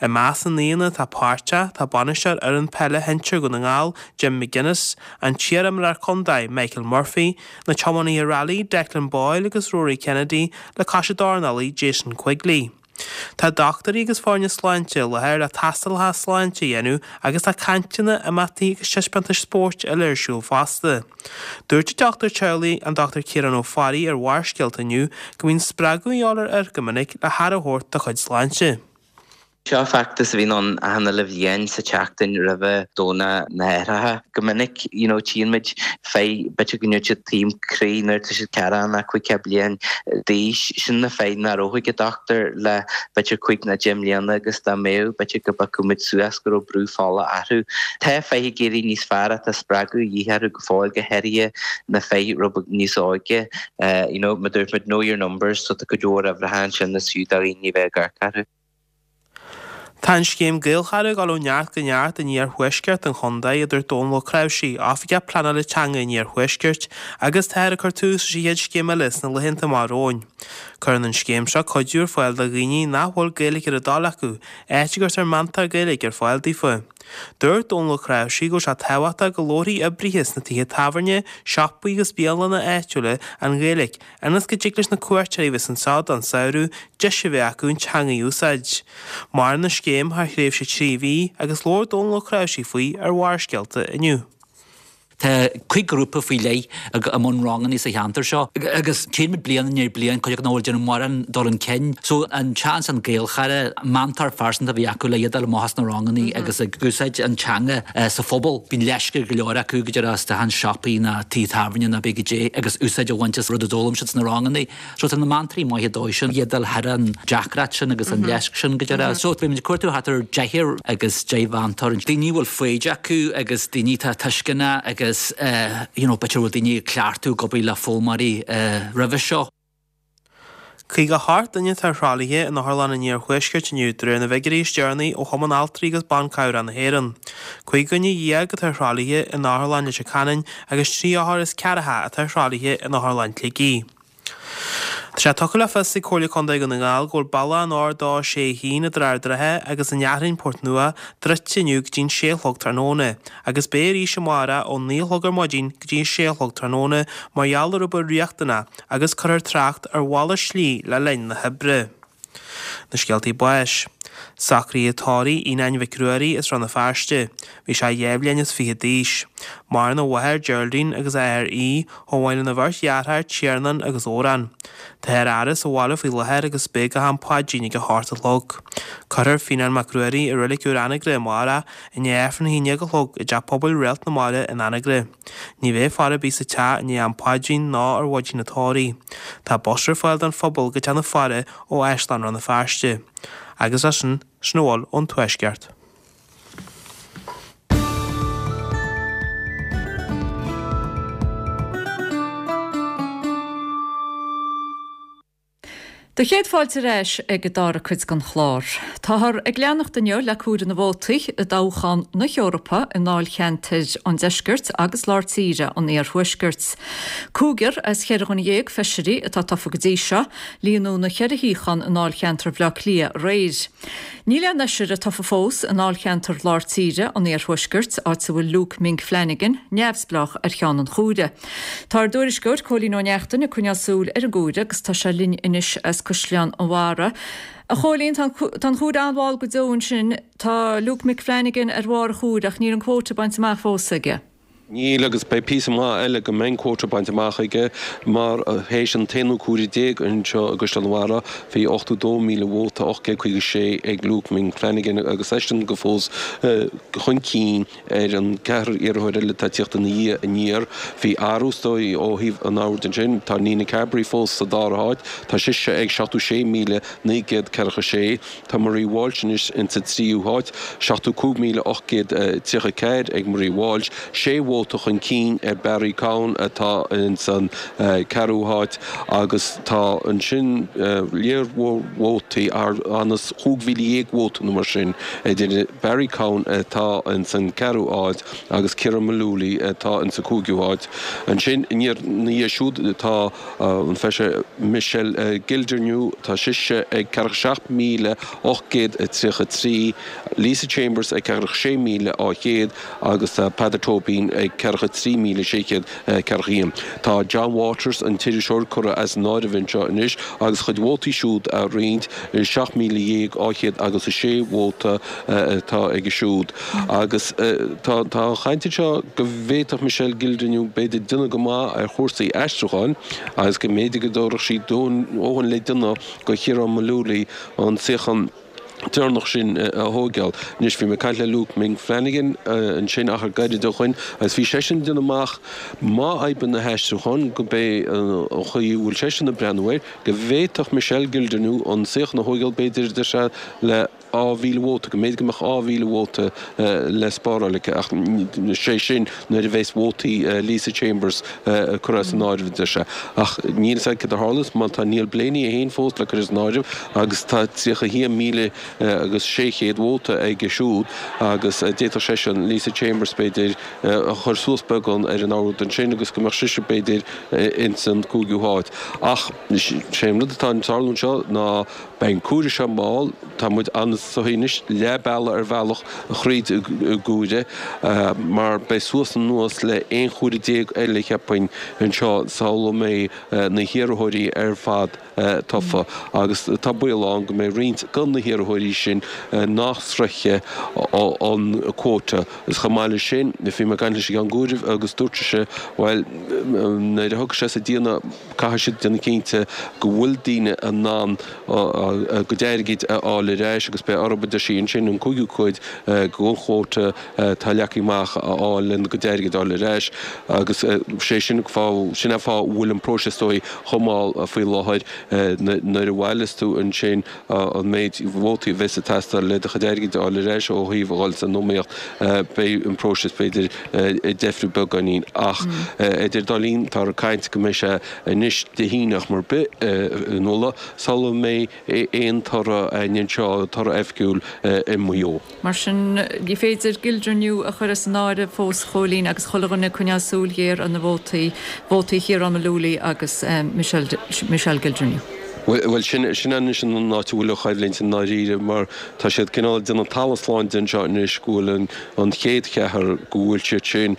I measc na n-aíonna atá páirteach tá bainisteoir fhoireann peile shinsir Dhún na nGall, Jim McGuinness, an t-iarimreoir contae, Michael Murphy, na tiománaithe railí Declan Boyle agus Rory Kennedy le cois an dornálaí Jason Quigley. Tá dochtúirí agus foirne sláinte i láthair le tástálacha sláinte a dhéanamh agus tá cainteanna, imeachtaí agus taispeántais spóirt eile ar siúl fosta. Dúirt an dochtúir teaghlaigh, an Dochtúir Ciarán Ó Fearraigh ar Bharrscéalta inniu go mbíonn spreagadh a dhíobháil ar fhir go minic le haire a thabhairt dá chuid sláinte. Seo feachtas a bhíonn ann achan uile bhliain sa tseachtain roimhe Domhnach na hAithreacha. Go minic you know tchíonn muid fir b'fhéidir go ndéarfaidh siad taom croí nuair atá siad ceathracha nó caoga bliain d'aois. Sin na fir nach raibh chuig an dochtúir le b'fhéidir cúig nó deich mbliana agus dá mbeadh b'fhéidir go bhfeicfeadh muid suas go raibh brú fola orthu. Tá fir ag éirí níos fearr ach tá spreagadh a dhíth orthu go fóill go háirithe na fir rud beag níos óige. You know mar a dúirt muid know your numbers so tá cuid mhór uimhreacha ansin is fiú do dhaoine bheith ag amharc orthu. Tá an scéim Gaelchara ag dul ó neart go neart in iarthuaisceart an chontae, a dúirt Dónal Ó Cnáimhsí, Oifigeach Pleanála Teanga an Iarthuaiscirt, agus táthar ag cur tús leis an chéad scéim eile sna laethanta amach romhainn. Cuireann an scéim seo cuidiú ar fáil do dhaoine nach bhfuil Gaeilge ar a dtoil acu, áit a gcuirtear meantóir Gaeilge ar fáil daofa. Dúirt Dónal Ó Cnáimhsí go bhfuil sé tábhachtach go labharfaidh oibrithe sna tithe tábhairne, siopaí agus bialanna áitiúla an Ghaeilge ionas go dtig leis na cuairteoirí a bheas anseo don samhradh deis a bheith acu an teanga a úsáid. Maireann an scéim thar thréimhse trí mhí agus labhair Dónal Ó Cnáimhsí faoi ar Bharrscéalta inniu. Tá cúig ghrúpa faoi leith i mbun ranganna sa cheantar seo agus tchíonn muid bliain i ndiaidh bliain cuid acu nach bhfuil déanamh mórán dul chun cinn. So an seans an Gaelchara, meantóir phearsanta a bhí acu le iad a fháil amach as na ranganna agus ag úsáid an teanga sa phobal. Bíonn leisce ar go leor acu go deireadh isteach in siopaí ná tithe tábhairne ná cibé goidé agus úsáid a bhaint as rud a d'fhoghlaim siad sna ranganna. So tá na meantóirí maithe dóibh sin, iad dul thar an deacracht sin agus an leisc sin go deireadh. So beidh muid ag cuartú thart ar deichniúr agus deich mheantóir, daoine a bhfuil foighid acu agus daoine atá tuisceanach agus you know b'fhéidir bhfuil daoine ag cleachtadh ag obair le foghlaimeoirí roimhe seo. Caoga a hocht duine atá ar thralaithe in Otharlann an Iarthuaiscirt inniu de réir na bhfigiúirí is deireanaí ó Chumann Altraí agus Ban Cabhrach na hÉireann. Cúig dhuine dhéag atá ar thralaithe in Otharlann Leitir Ceanainn agus trí othar is ceathracha atá ar thralaithe in Otharlann Shligigh. Tá sé tugtha le fios ag Comhairle Contae Dhún na nGall go bhfuil bealach an R dó sé a haon idir Ard an Rátha agus an Fhearthainn, Port Nua, druidte inniu go dtí an sé a chlog tráthnóna agus beidh arís amárach ó naoi a chlog ar maidin go dtí a sé a chlog tráthnóna mar gheall ar obair riachtanach agus cuirfear trácht ar mhalairt slí le linn na hoibre. Na scéaltaí báis. Socruithe tórraimh Fhíonáin Mhic Ruairí as Rann na Feirste. Bhí sé dhá bhliain is fiche d'aois. Maireann a mháthair Geraldine agus a athair Aodh, chomh maith lena bheirt dheartháir Tiarnán agus Odhrán. Táthar á fhaire sa bhaile faoi láthair agus beidh go ham paidrín ag a hocht a chlog. Cuirfear Fíonán Mac Ruairí i Reilig Úr Anagaire amárach i ndiaidh Aifreann a haon déag a chlog i dTeach Pobail Réalt na Mara in Anagaire. Ní bheidh faire ar bith sa teach i ndiaidh am paidrín ná ar mhaidin an tórraimh. Tá bus ar fáil don phobal go teach na faire ó Áislann Rann na Feirste. Agus as sin, sin a bhfuil ón Tuaisceart. Do chéad fáilte ar ais ag an dara cuid den chlár. Táthar ag leanacht inniu le comhaireamh na vótaí i dtoghchán na hEorpa i ndáilcheantair an Deiscirt agus Lár Tíre an Iarthuaiscirt. Cúigear as cheithre dhuine dhéag feisirí atá tofa go dtí seo, líonadh na ceithre shuíochán i ndáilcheantar Bhaile Átha Cliath aréir. Níl aon fheisire tofa fós i ndáilcheantar Lár Tíre an Iarthuaiscirt, áit a bhfuil Luke Mink Flanagan, neamhspleách, ar cheann an chomhairimh. Tá ár dtuairisceoir, Cóilín Ó Neachtain, ag coinneáil súil ar an gcomhaireamh agus tá sé linn anois as Caisleán an Bharraigh. A Chóilín, tá an comhaireamh an-mhall go deo ansin. Tá Luke Mick Flanagan ar bharr an chomhairimh ach níl an quota bainte amach fós aige. Níl agus beidh píosa maith eile go mbeidh an quota bainte amach aige mar théis an t-aonú comhaireamh déag anseo i gCaisleán an Bharraigh bhí ochtó dó míle vóta, ocht gcéad caoga sé ag Luke Mink Flanagan agus eisean go fós chun cinn ar an gceathrar iarrthóir eile atá ag tíocht ina dhiaidh aniar. Bhí athrú is dóigh ó thaobh an oird ansin. Tá Nina Carberry fós sa dara háit. Tá sise ag seachtó sé míle naoi gcéad ceathracha sé. Tá Marie Walsh anois insa tríú háit, seachtó cúig míle ocht gcéad tríocha ceathair ag Marie Walsh, sé vóta chun cinn ar Barry Cowen atá insan ceathrú háit agus tá ansin léar mhór vótaí, anuas chúig mhíle dhéag vóta nó mar sin, idir Barry Cowen atá insan ceathrú háit agus Ciara Mullooly atá insa cúigiú háit. Ansin ina dhiaidh siúd tá an feisire Michelle Gildernew, tá sise ag ceathracha seacht míle ocht gcéad tríocha trí, Lisa Chambers ag ceathracha sé míle dhá chéad agus tá Peadar Tóibín ag ag ceathracha trí míle sé chéad ceathracha haon. Tá John Waters, an t-iriseoir, curtha as an áireamh anseo anois agus a chuid vótaí siúd á roinnt, seacht míle dhéag dhá chéad agus a sé vóta atá aige siúd. Agus tá an chaint anseo go bhféadfadh Michelle Gildernew b'fhéidir déanamh go maith ar chúrsaí aistriúcháin agus go mb'fhéidir go dtabharfadh sí dóthain le déanamh do Chiarán Mullooly an suíochán deireanach sin a thóigeáil. Anois, bhí mé ag caint le Luke Ming Flanagan ansin achar gairid ó shoin agus bhí seisean ag déanamh amach má oibríonn na haistriúcháin go b'é an chaoi a bhfuil seisean ag breathnú air, go bhféadfadh Michelle Gildernew an suíochán a thóigeáil b'fhéidir deir sé le dhá mhíle vóta, go mb'fhéidir go mbeadh dhá mhíle vóta le spáráil aici ach sé sin nuair a bheas vótaí Lisa Chambers curtha as an áireamh, a deir sé. Ach níl a fhios a'd céard a tharlós má tá Neil Blaney é féin fós le cur as an áireamh agus tá tríocha a haon míle agus sé chéad vóta aige siúd agus d'fhéadfadh seisean Lisa Chambers b'fhéidir a chur suas beagán ar an ord ansin agus go mbeadh sise b'fhéidir ins an cúigiú háit. Ach sé an rud atá ag tarlú anseo ná beidh an comhaireamh seo mall, tá muid anso anois leath bealaigh ar bhealach thríd an gcomhaireamh mar beidh suas anuas le aon chomhaireamh déag eile cheapfainn anseo sula mbeidh na hiarrthóirí ar fad tofa agus tá baol ann go mbeidh roinnt de na hiarrthóirí sin nach sroichfidh an quota. Agus chomh maith leis sin, bhí mé ag caint leis an gCeann Comhairimh agus dúirt seisean, bhuel, nuair a thiocfaidh sé sa déanamh, caithfidh siad déanamh cinnte go bhfuil daoine in ann a gcuid airgid a fháil ar ais agus beidh orthu, a deir sí ansin, an cúigiú cuid den chuóta atá leagtha amach a fháil lena gcuid airgid a fháil ar ais agus sé sin fáth, sin é fáth a bhfuil an próiseas is dóigh chomh mall faoi láthair. Nuair a bhailios tú ansin an méid vótaí a bheas ag teastáil le do chuid airgid a fháil ar ais ó thaobh a dhul san iomaíocht, beidh an próiseas b'fhéidir ag deifriú beagáinín. Ach idir dá linn, táthar ag caint go mbeidh sé anois Dé hAoine ach mar bith a Nuala, sula mbeidh aon toradh againn anseo, toradh oifigiúil i Maigh Eo. Mar sin, ní féidir Gildernew a chur as an áireamh fós, a Chóilín, agus chuile dhuine ag coinneáil súil ghéar ar na vótaí, vótaí Chiarán Mullooly agus Michelle Gildernew. Bhuel, sin sin anois an áit a bhfuil an choimhlint i ndáiríre mar tá siad cineál ag déanamh talamh slán de anseo anois go bhfuil an an chéad cheathrar go bhfuil siad sin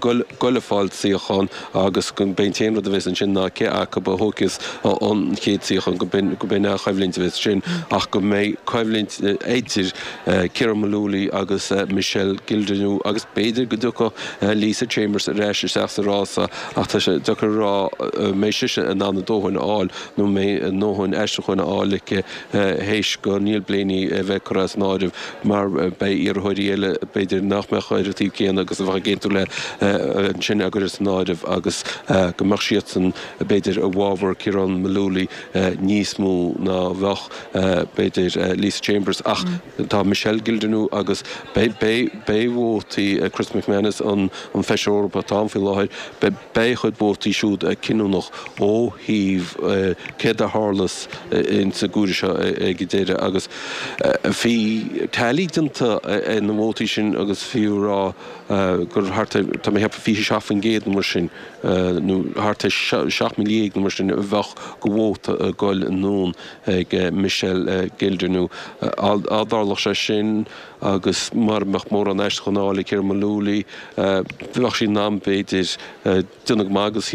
goil goil a fáil suíochán agus go b'é an t-aon rud a bheas ansin ná cé acu a thógfas an chéad suíochán go b'in go b'in an choimhlint a bheas ansin ach go mbeidh coimhlint idir Ciarán Mullooly agus Michelle Gildernew agus b'fhéidir go dtiocfadh Lisa Chambers ar ais isteach sa rása ach tá sé deacair a rá an mbeidh sise in ann a dóthain a fháil nó an mbeidh a ndóthain aistriúcháin a fháil aici théis do Neil Blaney a bheith curtha as an áireamh mar beidh iarrthóirí eile b'fhéidir nach mbeadh ar an taobh céanna agus a bheadh ag aontú léi ansin á gcur as an áireamh agus go mbeadh siadsan b'fhéidir i bhfabhar Ciarán Mullooly níos mó ná a bheadh b'fhéidir Lisa Chambers ach tá Michelle Gildernew agus beidh beidh vótaí Chris McManus an an Feisire Eorpach atá ann faoi láthair beidh beidh a chuid vótaí siúd cinniúnach ó thaobh céard a tharlós ins an gcomhaireamh seo ag an deireadh agus bhí tally déanta ar na vótaí sin agus fiú a rá gur thart ar, tá mé ag ceapadh fiche seacht faoin gcéad nó mar sin nó thart ar seacht míle dhéag nó mar sin a bheadh de vóta ag goil anonn ag Michelle Gildernew. Dá dtarlódh sé sin agus mura mbeadh mórán aistriúchán á fháil ag Ciarán Mullooly, bheadh sí in ann b'fhéidir déanamh go maith agus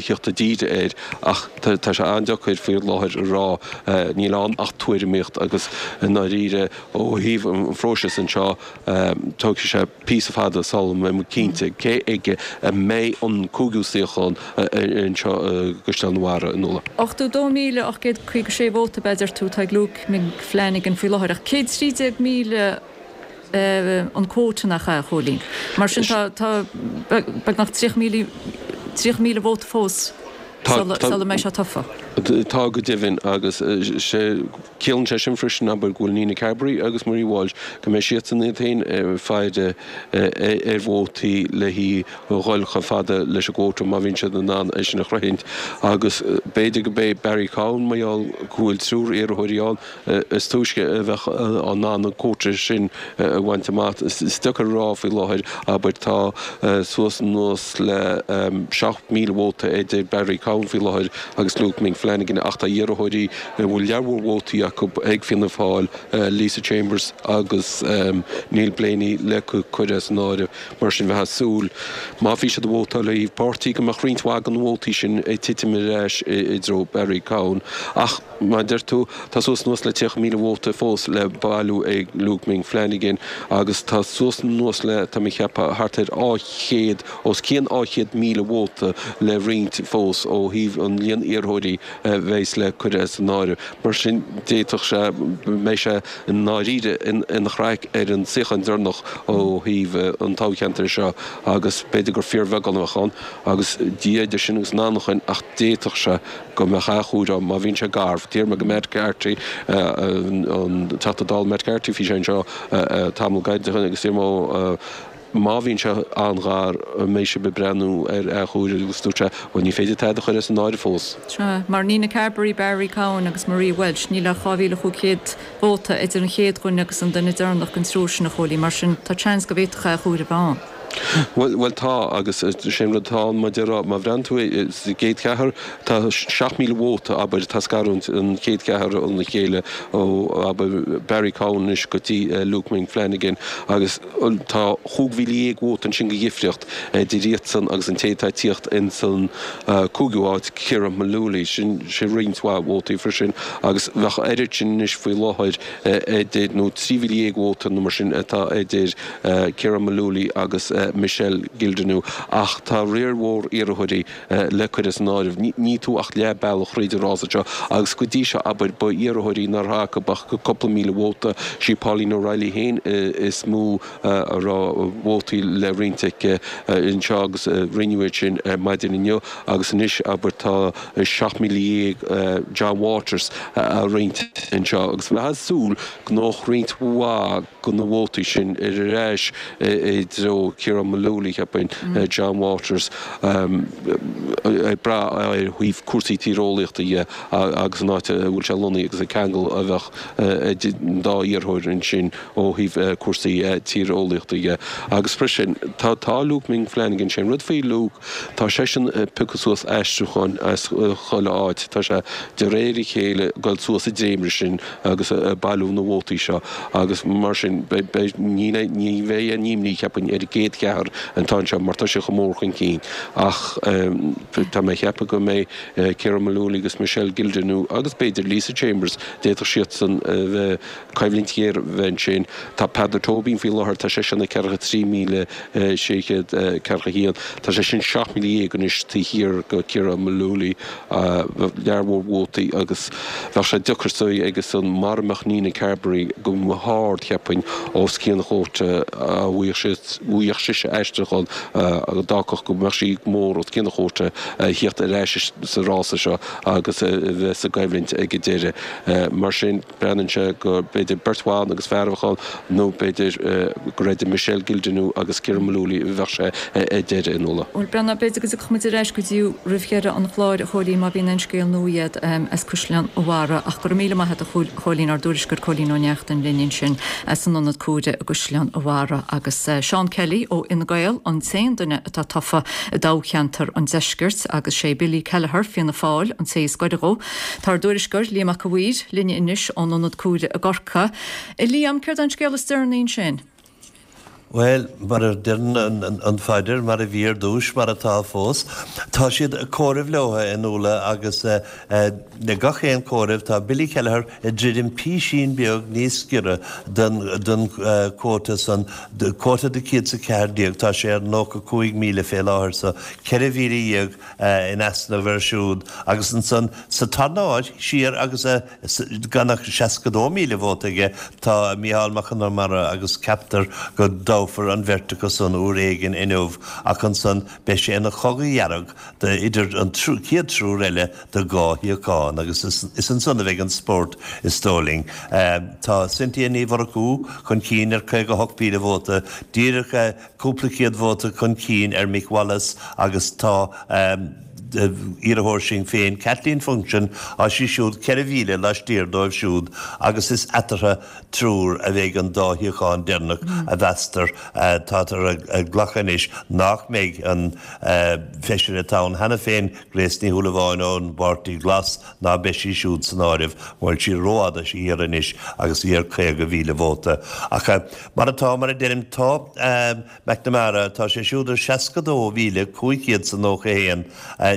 theacht i dtír air ach tá sé an-deacair faoi láthair a rá. Níl ann ach tuairimíocht agus i ndáiríre ó thaobh an phróisis anseo tógfaidh sé píosa fada sula mbeidh muid cinnte cé aige a mbeidh an cúigiú suíochán anseo i gCaisleán an Bharraigh, a Nuala. ochtó dó míle ocht gcéad caoga sé vóta, a deir tú, atá ag Luke Ming Flanagan faoi láthair ach céad trí déag míle an quota nach ea, a Chóilín? Mar sin tá tá beagnach tríocha míle tríocha míle vóta fós sula sula mbeidh sé tofa. Tá go deimhin agus sé ciallaíonn sé sin freisin abair go bhfuil Nina Carberry agus Marie Walsh go mbeidh siadsan iad féin ag faire ar vótaí le haghaidh dhul chomh fada leis an gcuóta má bhíonn siad in ann é sin a shroichint agus b'fhéidir go mbeidh Barry Cowen mar gheall go bhfuil triúr iarrthóirí ann is túisce a bheadh in ann an cuóta sin a bhaint amach. Is deacair a rá faoi láthair, abair, tá suas anuas le seacht míle vóta idir Barry Cowen faoi láthair agus Luke Ming Flanagan ach tá iarrthóirí a bhfuil lear mhór vótaí acu ag Fianna Fáil, Lisa Chambers agus Neil Blaney le cur as an áireamh. Mar sin bheifeá ag súil, má bhí siad ag vótáil ó thaobh páirtí, go mbeadh roinnt mhaith de na vótaí sin ag titim ar ais i dtreo Barry Cowen. Ach mar a deir tú, tá suas anuas le tríocha míle vóta fós le bailiú ag Luke Ming Flanagan agus tá suas anuas le, tá mé ag ceapadh, thart ar dhá chéad, os cionn dhá chéad míle vóta le roinnt fós ó thaobh an líon iarrthóirí a bheas le cur as an áireamh. Mar sin, d'fhéadfadh sé go mbeidh sé i ndáiríre ina chraic ar an suíochán deireanach ó thaobh an toghcheantair seo agus b'fhéidir gur fíorbheagán a bheadh ann agus Dia idir sinn agus an anachain ach d'fhéadfadh sé go mbeadh athchomhaireamh ann má bhíonn sé garbh. D'iarr mé go Matt Carthy, an Teachta Dála Matt Carthy, bhí sé anseo tamall gairid ó shin agus d'iarr mé dhó, Má bhíonn sé an-ghar, an mbeidh sibh ag breathnú ar athchomhaireamh agus dúirt sé, bhuel ní féidir tada a chur as an áireamh fós. Sea, mar Nina Carberry, Barry Cowen agus Maria Walsh, níl ach dhá mhíle chúig chéad vóta idir an chéad dhuine agus an duine deireanach den triúr sin, a Chóilín, mar sin tá seans go bhféadfadh athchomhaireamh a bheith ann. Bhuel, bhuel tá, agus sé an rud atá ann, mar a déarfá, má bhreathnaíonn tú sa gcéad cheathrar, tá seacht míle vóta, abair, atá ag scarúint an chéad cheathrar óna chéile, ó, abair, Barry Cowen anois go dtí Luke Ming Flanagan, agus tá chúig mhíle dhéag vóta ansin de dhifríocht idir iadsan agus an té atá ag tíocht ins an cúigiú háit, Ciarán Mullooly. Sin sé roinnt mhaith vótaí freisin agus bheadh oiread sin anois faoi láthair idir, nó trí mhíle dhéag vóta nó mar sin atá idir Ciarán Mullooly agus Michelle Gildernew. Ach tá riar mhór iarrthóirí le cur as an áireamh. Níl tú ach leath bealach thríd an rása seo agus go dtí seo, abair, ba iarrthóirí nár raibh acu ach cúpla míle vóta. Sí Pauline O'Reilly féin is mó a raibh vótaí le roinnt aici anseo agus rinneadh iad sin ar maidin inniu agus anois, abair, tá seacht míle dhéag John Waters á roinnt anseo agus bheifeá ag súil go ngabhfadh roinnt mhaith de na vótaí sin ar ais i dtreo Ciarán Mullooly, cheapfainn, John Waters, ag brath ar thaobh cúrsaí tíreolaíochta dhe agus an áit a bhfuil sé lonnaithe agus an ceangal a bheadh idir an dá iarrthóir ansin ó thaobh cúrsaí tíreolaíochta dhe. Agus freisin, tá tá Luke Ming Flanagan, sé an rud faoi Luke, tá seisean ag piocadh suas aistriúcháin as chuile áit, tá sé de réir a chéile ag dul suas an dréimire sin agus ag bailiú na vótaí seo agus mar sin beidh, ní ní bheidh aon imní, cheapfainn, ar an gcéad cheathrar atá anseo mar tá sé chomh mór chun cinn. Ach tá mé ag ceapadh go mbeidh Ciarán Mullooly agus Michelle Gildernew agus b'fhéidir Lisa Chambers, d'fhéadfadh siadsan a bheith, coimhlint ghéar a bheith ansin. Tá Peadar Tóibín faoi láthair, tá seisean ag ceathracha trí míle sé chéad ceathracha a haon. Tá sé sin seacht míle dhéag anois taobh thiar de Ciarán Mullooly, lear mhór vótaí agus bheadh sé deacair suí aigesan mara mbeadh Nina Carberry go hard, cheapfainn, os cionn an chuóta a bhfaigheadh sise aistriúchán a d'fhágfadh go mbeadh sí go mór os cionn an chuóta a thíocht ar ais sa rása seo agus a bheith sa gcoimhlint ag an deireadh. Mar sin, breathnaíonn sé go b'fhéidir beirt bhan agus fear a bheadh ann nó b'fhéidir gur idir Michelle Gildernew agus Ciarán Mullooly a bheadh sé ar deireadh in Uladh. Bhuel, Breandán, b'fhéidir go dtiocfaidh muid ar ais go dtí roimh dheireadh an chláir, a Chóilín, má bhíonn aon scéal nua agat as Caisleán an Bharraigh. Ach go raibh míle maith agat, a Chóilín, ár dtuairisceoir Cóilín Ó Neachtain linn ansin as an Ionad Comhairimh i gCaisleán an Bharraigh. Agus Seán Kelly ó Fhine Gael an t-aon duine atá tofa i dtoghcheantar an Deiscirt agus sé Billy Kelleher, Fianna Fáil, an té is gaire dhó. Tá ár dtuairisceoir Liam Mac a' Mhaoir linne anois ón Ionad Comhairimh i gCorcaigh. A Liam, céard é an scéal is deireanaí ansin? Bhuel, mar a deireann an phaidir, mar a bhí ar dtúis, mar atá fós. Tá siad ag comhaireamh leo in Uladh agus le gach aon comhaireamh tá Billy Kelleher ag druidim písín beag níos giorra don quota san, quota de céad 's a ceathair déag, tá sé ar nócha cúig míle fé láthair so ceithre mhíle dhéag in easnamh air siúd agus ansan sa tarna háit siar agus gan ach seasca dó míle vóta aige tá Mícheál Mac Con Iomaire agus ceaptar go dtoghfar an bheirt acu san uair éigin inniu ach ansan beidh sé ina chogadh dhearg idir an chéad triúr eile do dhá shuíochán agus is ansan a bheidh an spórt is dóigh linn. Tá Cynthia Ní Mhurchú chun cinn ar caoga hocht míle vóta, díreach cúpla céad vóta chun cinn ar Mick Wallace agus tá iarrthóir Shinn Féin, Kathleen Funchion, tá sí siúd ceithre mhíle laistiar dóibh siúd agus is eatarthu triúr a bheidh an dá shuíochán deireanach a mheastar. Táthar ag glacadh anois nach mbeidh an feisire atá ann cheana féin, Grace Ní Shúilleabháin ón bPáirtí Glas, ná beidh sí siúd san áireamh, bhfuil sí rófhada siar anois agus í ar caoga mhíle vóta. Ach mar atá, mar a deirim, tá McNamara, tá sé siúd ar seasca dó mhíle cúig chéad 's a nócha haon.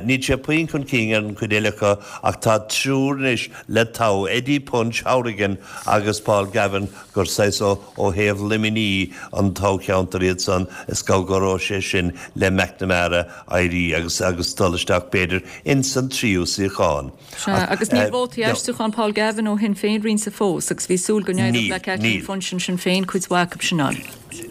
Níl sé puinn chun cinn ar an chuid eile acu ach tá triúr anois le toghadh, Eddie Punch Hourigan agus Paul Gavin, gur saghas ó thaobh Luimnigh an toghcheantar iad san, is go gcabhróidh sé sin le McNamara éirí agus agus dul isteach b'fhéidir ins an tríú suíochán. Sea, agus níl vótaí aistriúcháin Paul Gavin ó Shinn Féin roinnte fós agus bhí súil go n-éireodh le Kathleen Funchion Sinn Féin cuid mhaith acu sin a fháil.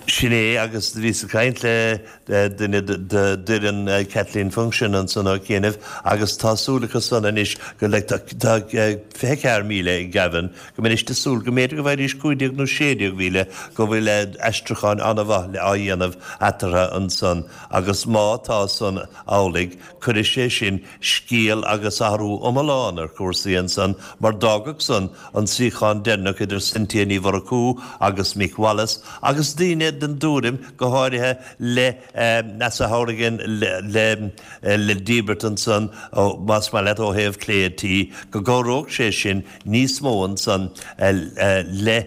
Sin é, agus bhíos ag caint le duine d'fhoireann Kathleen Funchion ansan ó chianaibh agus tá súil acu san anois go like tá fiche ceathair míle ag Gavin, go mbeidís ag súil go mb'fhéidir go bhfaighidís cúig déag nó sé déag mhíle, go bhfuil aistriúcháin an-mhaith á dhéanamh eatarthu ansan agus má tá san amhlaidh cuirfidh sé sin scéal agus athrú iomlán ar chúrsaí ansan mar d'fhágfadh san an suíochán deireanach idir Cynthia Ní Mhurchú agus Mick Wallace agus daoine den dtuairim, go háirithe le Neasa Hourigan le le díbirt ansan, más maith leat, ó thaobh clé an tí, go gcabhródh sé sin níos mó ansan le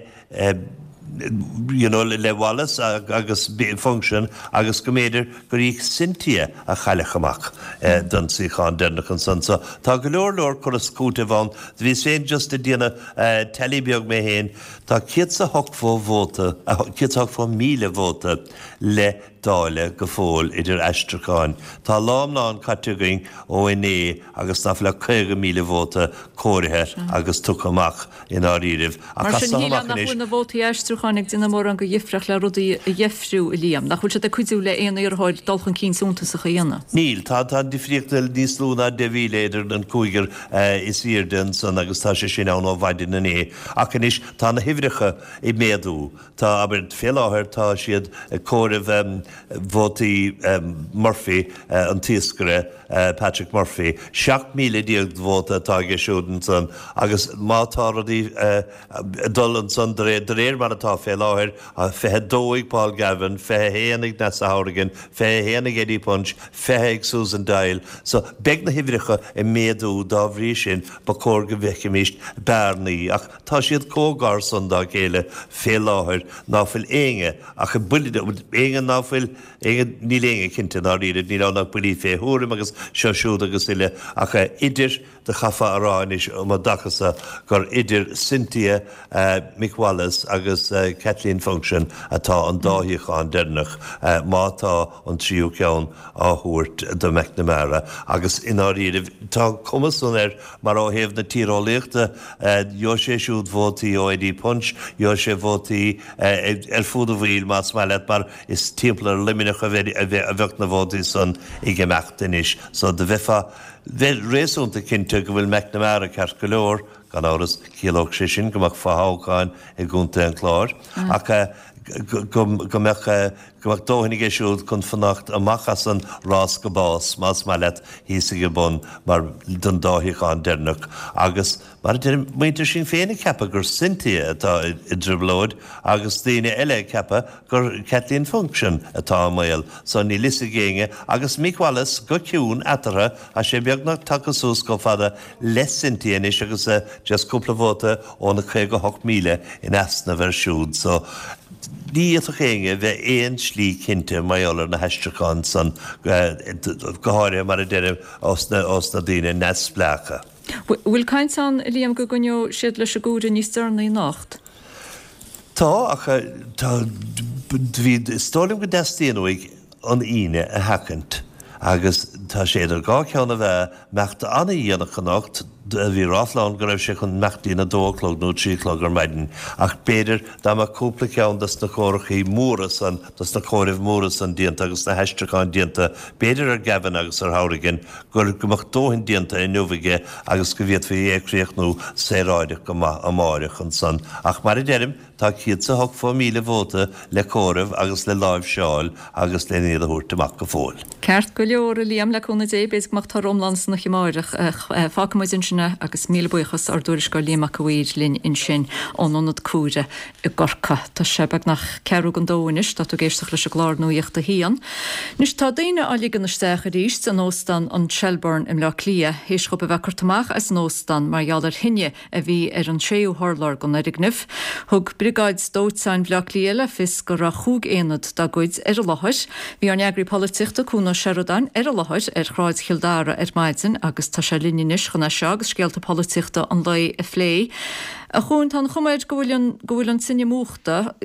you know le Wallace agus Funchion agus go mb'fhéidir gur í Cynthia a chaillfeadh amach don suíochán deireanach ansan. So tá go leor leor cur is cúiteamh ann. Bhíos féin just ag déanamh tally beag mé féin. Tá céad 's a hochtó vóta, céad 's a hochtó míle vóta le dáileadh go fóill idir aistriúcháin. Tá lá iomlán caite againn ó inné agus ná fuil ach caoga míle vóta comhairthe agus tugtha amach i ndáiríribh. Ach Mar sin, shílfeá nach bhfuil na vótaí aistriúcháin ag déanamh mórán de dhifríocht le rudaí a dheifriú, a Liam. Nach bhfuil siad ag cuidiú le aon iarrthóir dul chun cinn suntasach a dhéanamh? Níl. Tá an difríocht níos lú ná deich mhíle idir an cúigear is airde ansan agus tá sé sin ann ó mhaidin inné. Ach anois tá na huimhreacha ag méadú. Tá, abair, fé láthair tá siad ag comhaireamh vótaí Murphy, an t-iascaire Patrick Murphy. Seacht míle déag vóta atá aige siúd ansan agus má tá rudaí ag dul ansan de réir mar atá fé láthair, fiche dó ag Paul Gavin, fiche haon ag Neasa Hourigan, fiche haon ag Eddie Punch, fiche ag Susan Doyle. So beidh na huimhreacha ag méadú dá bhrí sin ba chóir go bhfeicfimíst bearnaí ach tá siad chomh gar san dá chéile fé láthair ná fuil éinne ach buille, éinne ná fuil, éinne, níl éinne cinnte i ndáiríre, níl ann ach buillí fé thuairim agus seo siúd agus uile ach idir, do chaithfeá a rá anois um an dtaca so gur idir Cynthia Mick Wallace agus Kathleen Funchion atá an dá shuíochán deireanach má tá an tríú ceann á thabhairt do McNamara agus i ndáiríribh tá an cuma san air mar ó thaobh na tíreolaíochta gheobhaidh sé siúd vótaí ó Eddie Punch, gheobhaidh sé vótaí ar fud an bhaill más maith leat mar is timpeall ar Luimneach a bheadh na vótaí san ag imeacht anois so do bheifeá bheith réasúnta cinnte go bhfuil McNamara ceart go leor, gan amhras, chiallódh sé sin go mbeadh fothoghchán i gContae an Chláir, ach go mbeadh go mbeadh dóthain aige siúd chun fanacht amach as an rás go bás, más maith leat, thíos ag an bun mar don dá shuíochán deireanach. Agus, mar a deirim, muintir Shinn Féin ag ceapadh gur Cynthia atá i dtrioblóid agus daoine eile ag ceapadh gur Kathleen Funchion atá i mbaol, so níl fhios ag éinne, agus Mick Wallace go ciúin eatarthu, tá sé beagnach tagtha suas chomh fada le Cynthia anois agus just cúpla vóta ó na caoga hocht míle in easnamh air siúd, so ní fhéadfadh éinne bheith aon slí cinnte mar gheall ar na haistriúcháin san, go háirithe mar a deirim ós na daoine neamhspleácha. Bhfuil caint ann, a Liam, go gcoinneoidh siad leis an gcomhaireamh níos deireanaí anocht? Tá, ach tá, bhí, is dóigh liom go dteastaíonn uaidh an Aoine a sheachaint agus tá sé idir dhá cheann na meá, imeacht an-dhéanach anocht, bhí ráfla ann go raibh sé chun imeacht dtí'n a dó a chlog nó trí a chlog ar maidin ach b'fhéidir dá mbeadh cúpla ceann dos na comhaireachaí móra san, dos na comhairimh mhóra san déanta agus na haistriúcháin déanta, b'fhéidir ar Gavin agus ar Hourigan, gur go mbeadh dóthain déanta inniu aige agus go bhféadfaí é a chríochnú saoráideach go maith amáireach ansan. Ach mar a deirim, Tá céad is a hochtó míle vóta le comhaireamh agus le láimhseáil agus len iad a thabhairt amach go fóill. Ceart go leor, a Liam, le cúnamh Dé, b'fhéidir go mbeadh toradh iomlán san oíche amárach. Fágfaidh muid ansin é agus míle buíochas ár dtuairisceoir Liam Mac a' Mhaoir linn ansin ón ionad comhairimh i gCorcaigh. Tá sé beagnach ceathrú don dó anois, tá tú ag éisteacht leis an gclár Nuacht a hAon. Anois tá daoine á ligean isteach arís in óstán an Shelbourne i mBleá Cliath, théis dhóibh a bheith curtha amach as an óstán mar gheall ar thine a bhí ar an séú hurlár den fhoirgneamh. Thug Briogáid Dóiteáin Bhaile Átha Cliath le fios go raibh chúig aonad dá gcuid ar an láthair. Bhí ár n-eagraí polaitíochta Cuan Ó Seireadáin ar an láthair ar Shráid Chill Dara ar maidin agus tá sé linn anois chun é seo agus scéalta polaitíochta an lae a phlé. A Chuain, tá an chuma air go bhfuil an go bhfuil an tine múchta.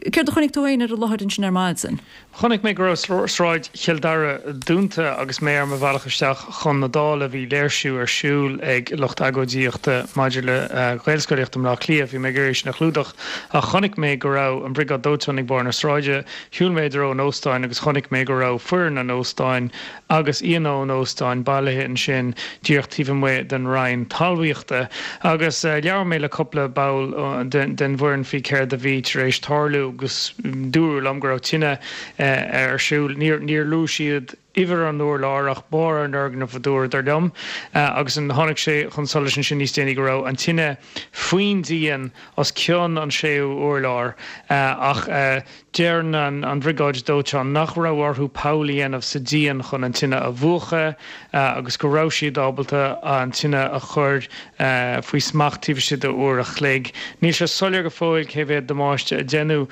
Céard a chonaic tú féin ar an láthair ansin ar maidin? Chonaic mé go raibh Sráid Chill Dara dúnta agus mé ar mo bhealach isteach chun na Dála. Bhí léirsiú ar siúl ag lucht agóidíochta maidir le Gaelscolaíocht i mBleá Cliath. Bhí mé ag iarraidh sin a chlúdach ach chonaic mé go raibh an Bhriogáid Dóiteáin ag barr na sráide. Shiúil mé i dtreo an óstáin agus chonaic mé go raibh foireann an óstáin agus aíonna an óstáin bailithe ansin díreach taobh amuigh den Roinn Talmhaíochta. Agus labhair mé le cúpla ball den bhfoireann faoi céard a bhí tar éis tarlú agus dúradh liom go raibh tine ar siúl. Níor luaigh siad uimhir an urláir ach barr an fhoirgnimh a dúradar liom. Agus tháinig sé chun solais ansin níos déanaí go raibh an tine faoin díon os cionn an séú urlár ach deir an Bhriogáid Dóiteáin nach raibh orthu poll a dhéanamh sa díon chun an tine a mhúchadh agus go raibh siad ábalta an tine a chur faoi smacht taobh istigh de uair a chloig. Níl sé soiléir go fóill cé mhéad damáiste a deineadh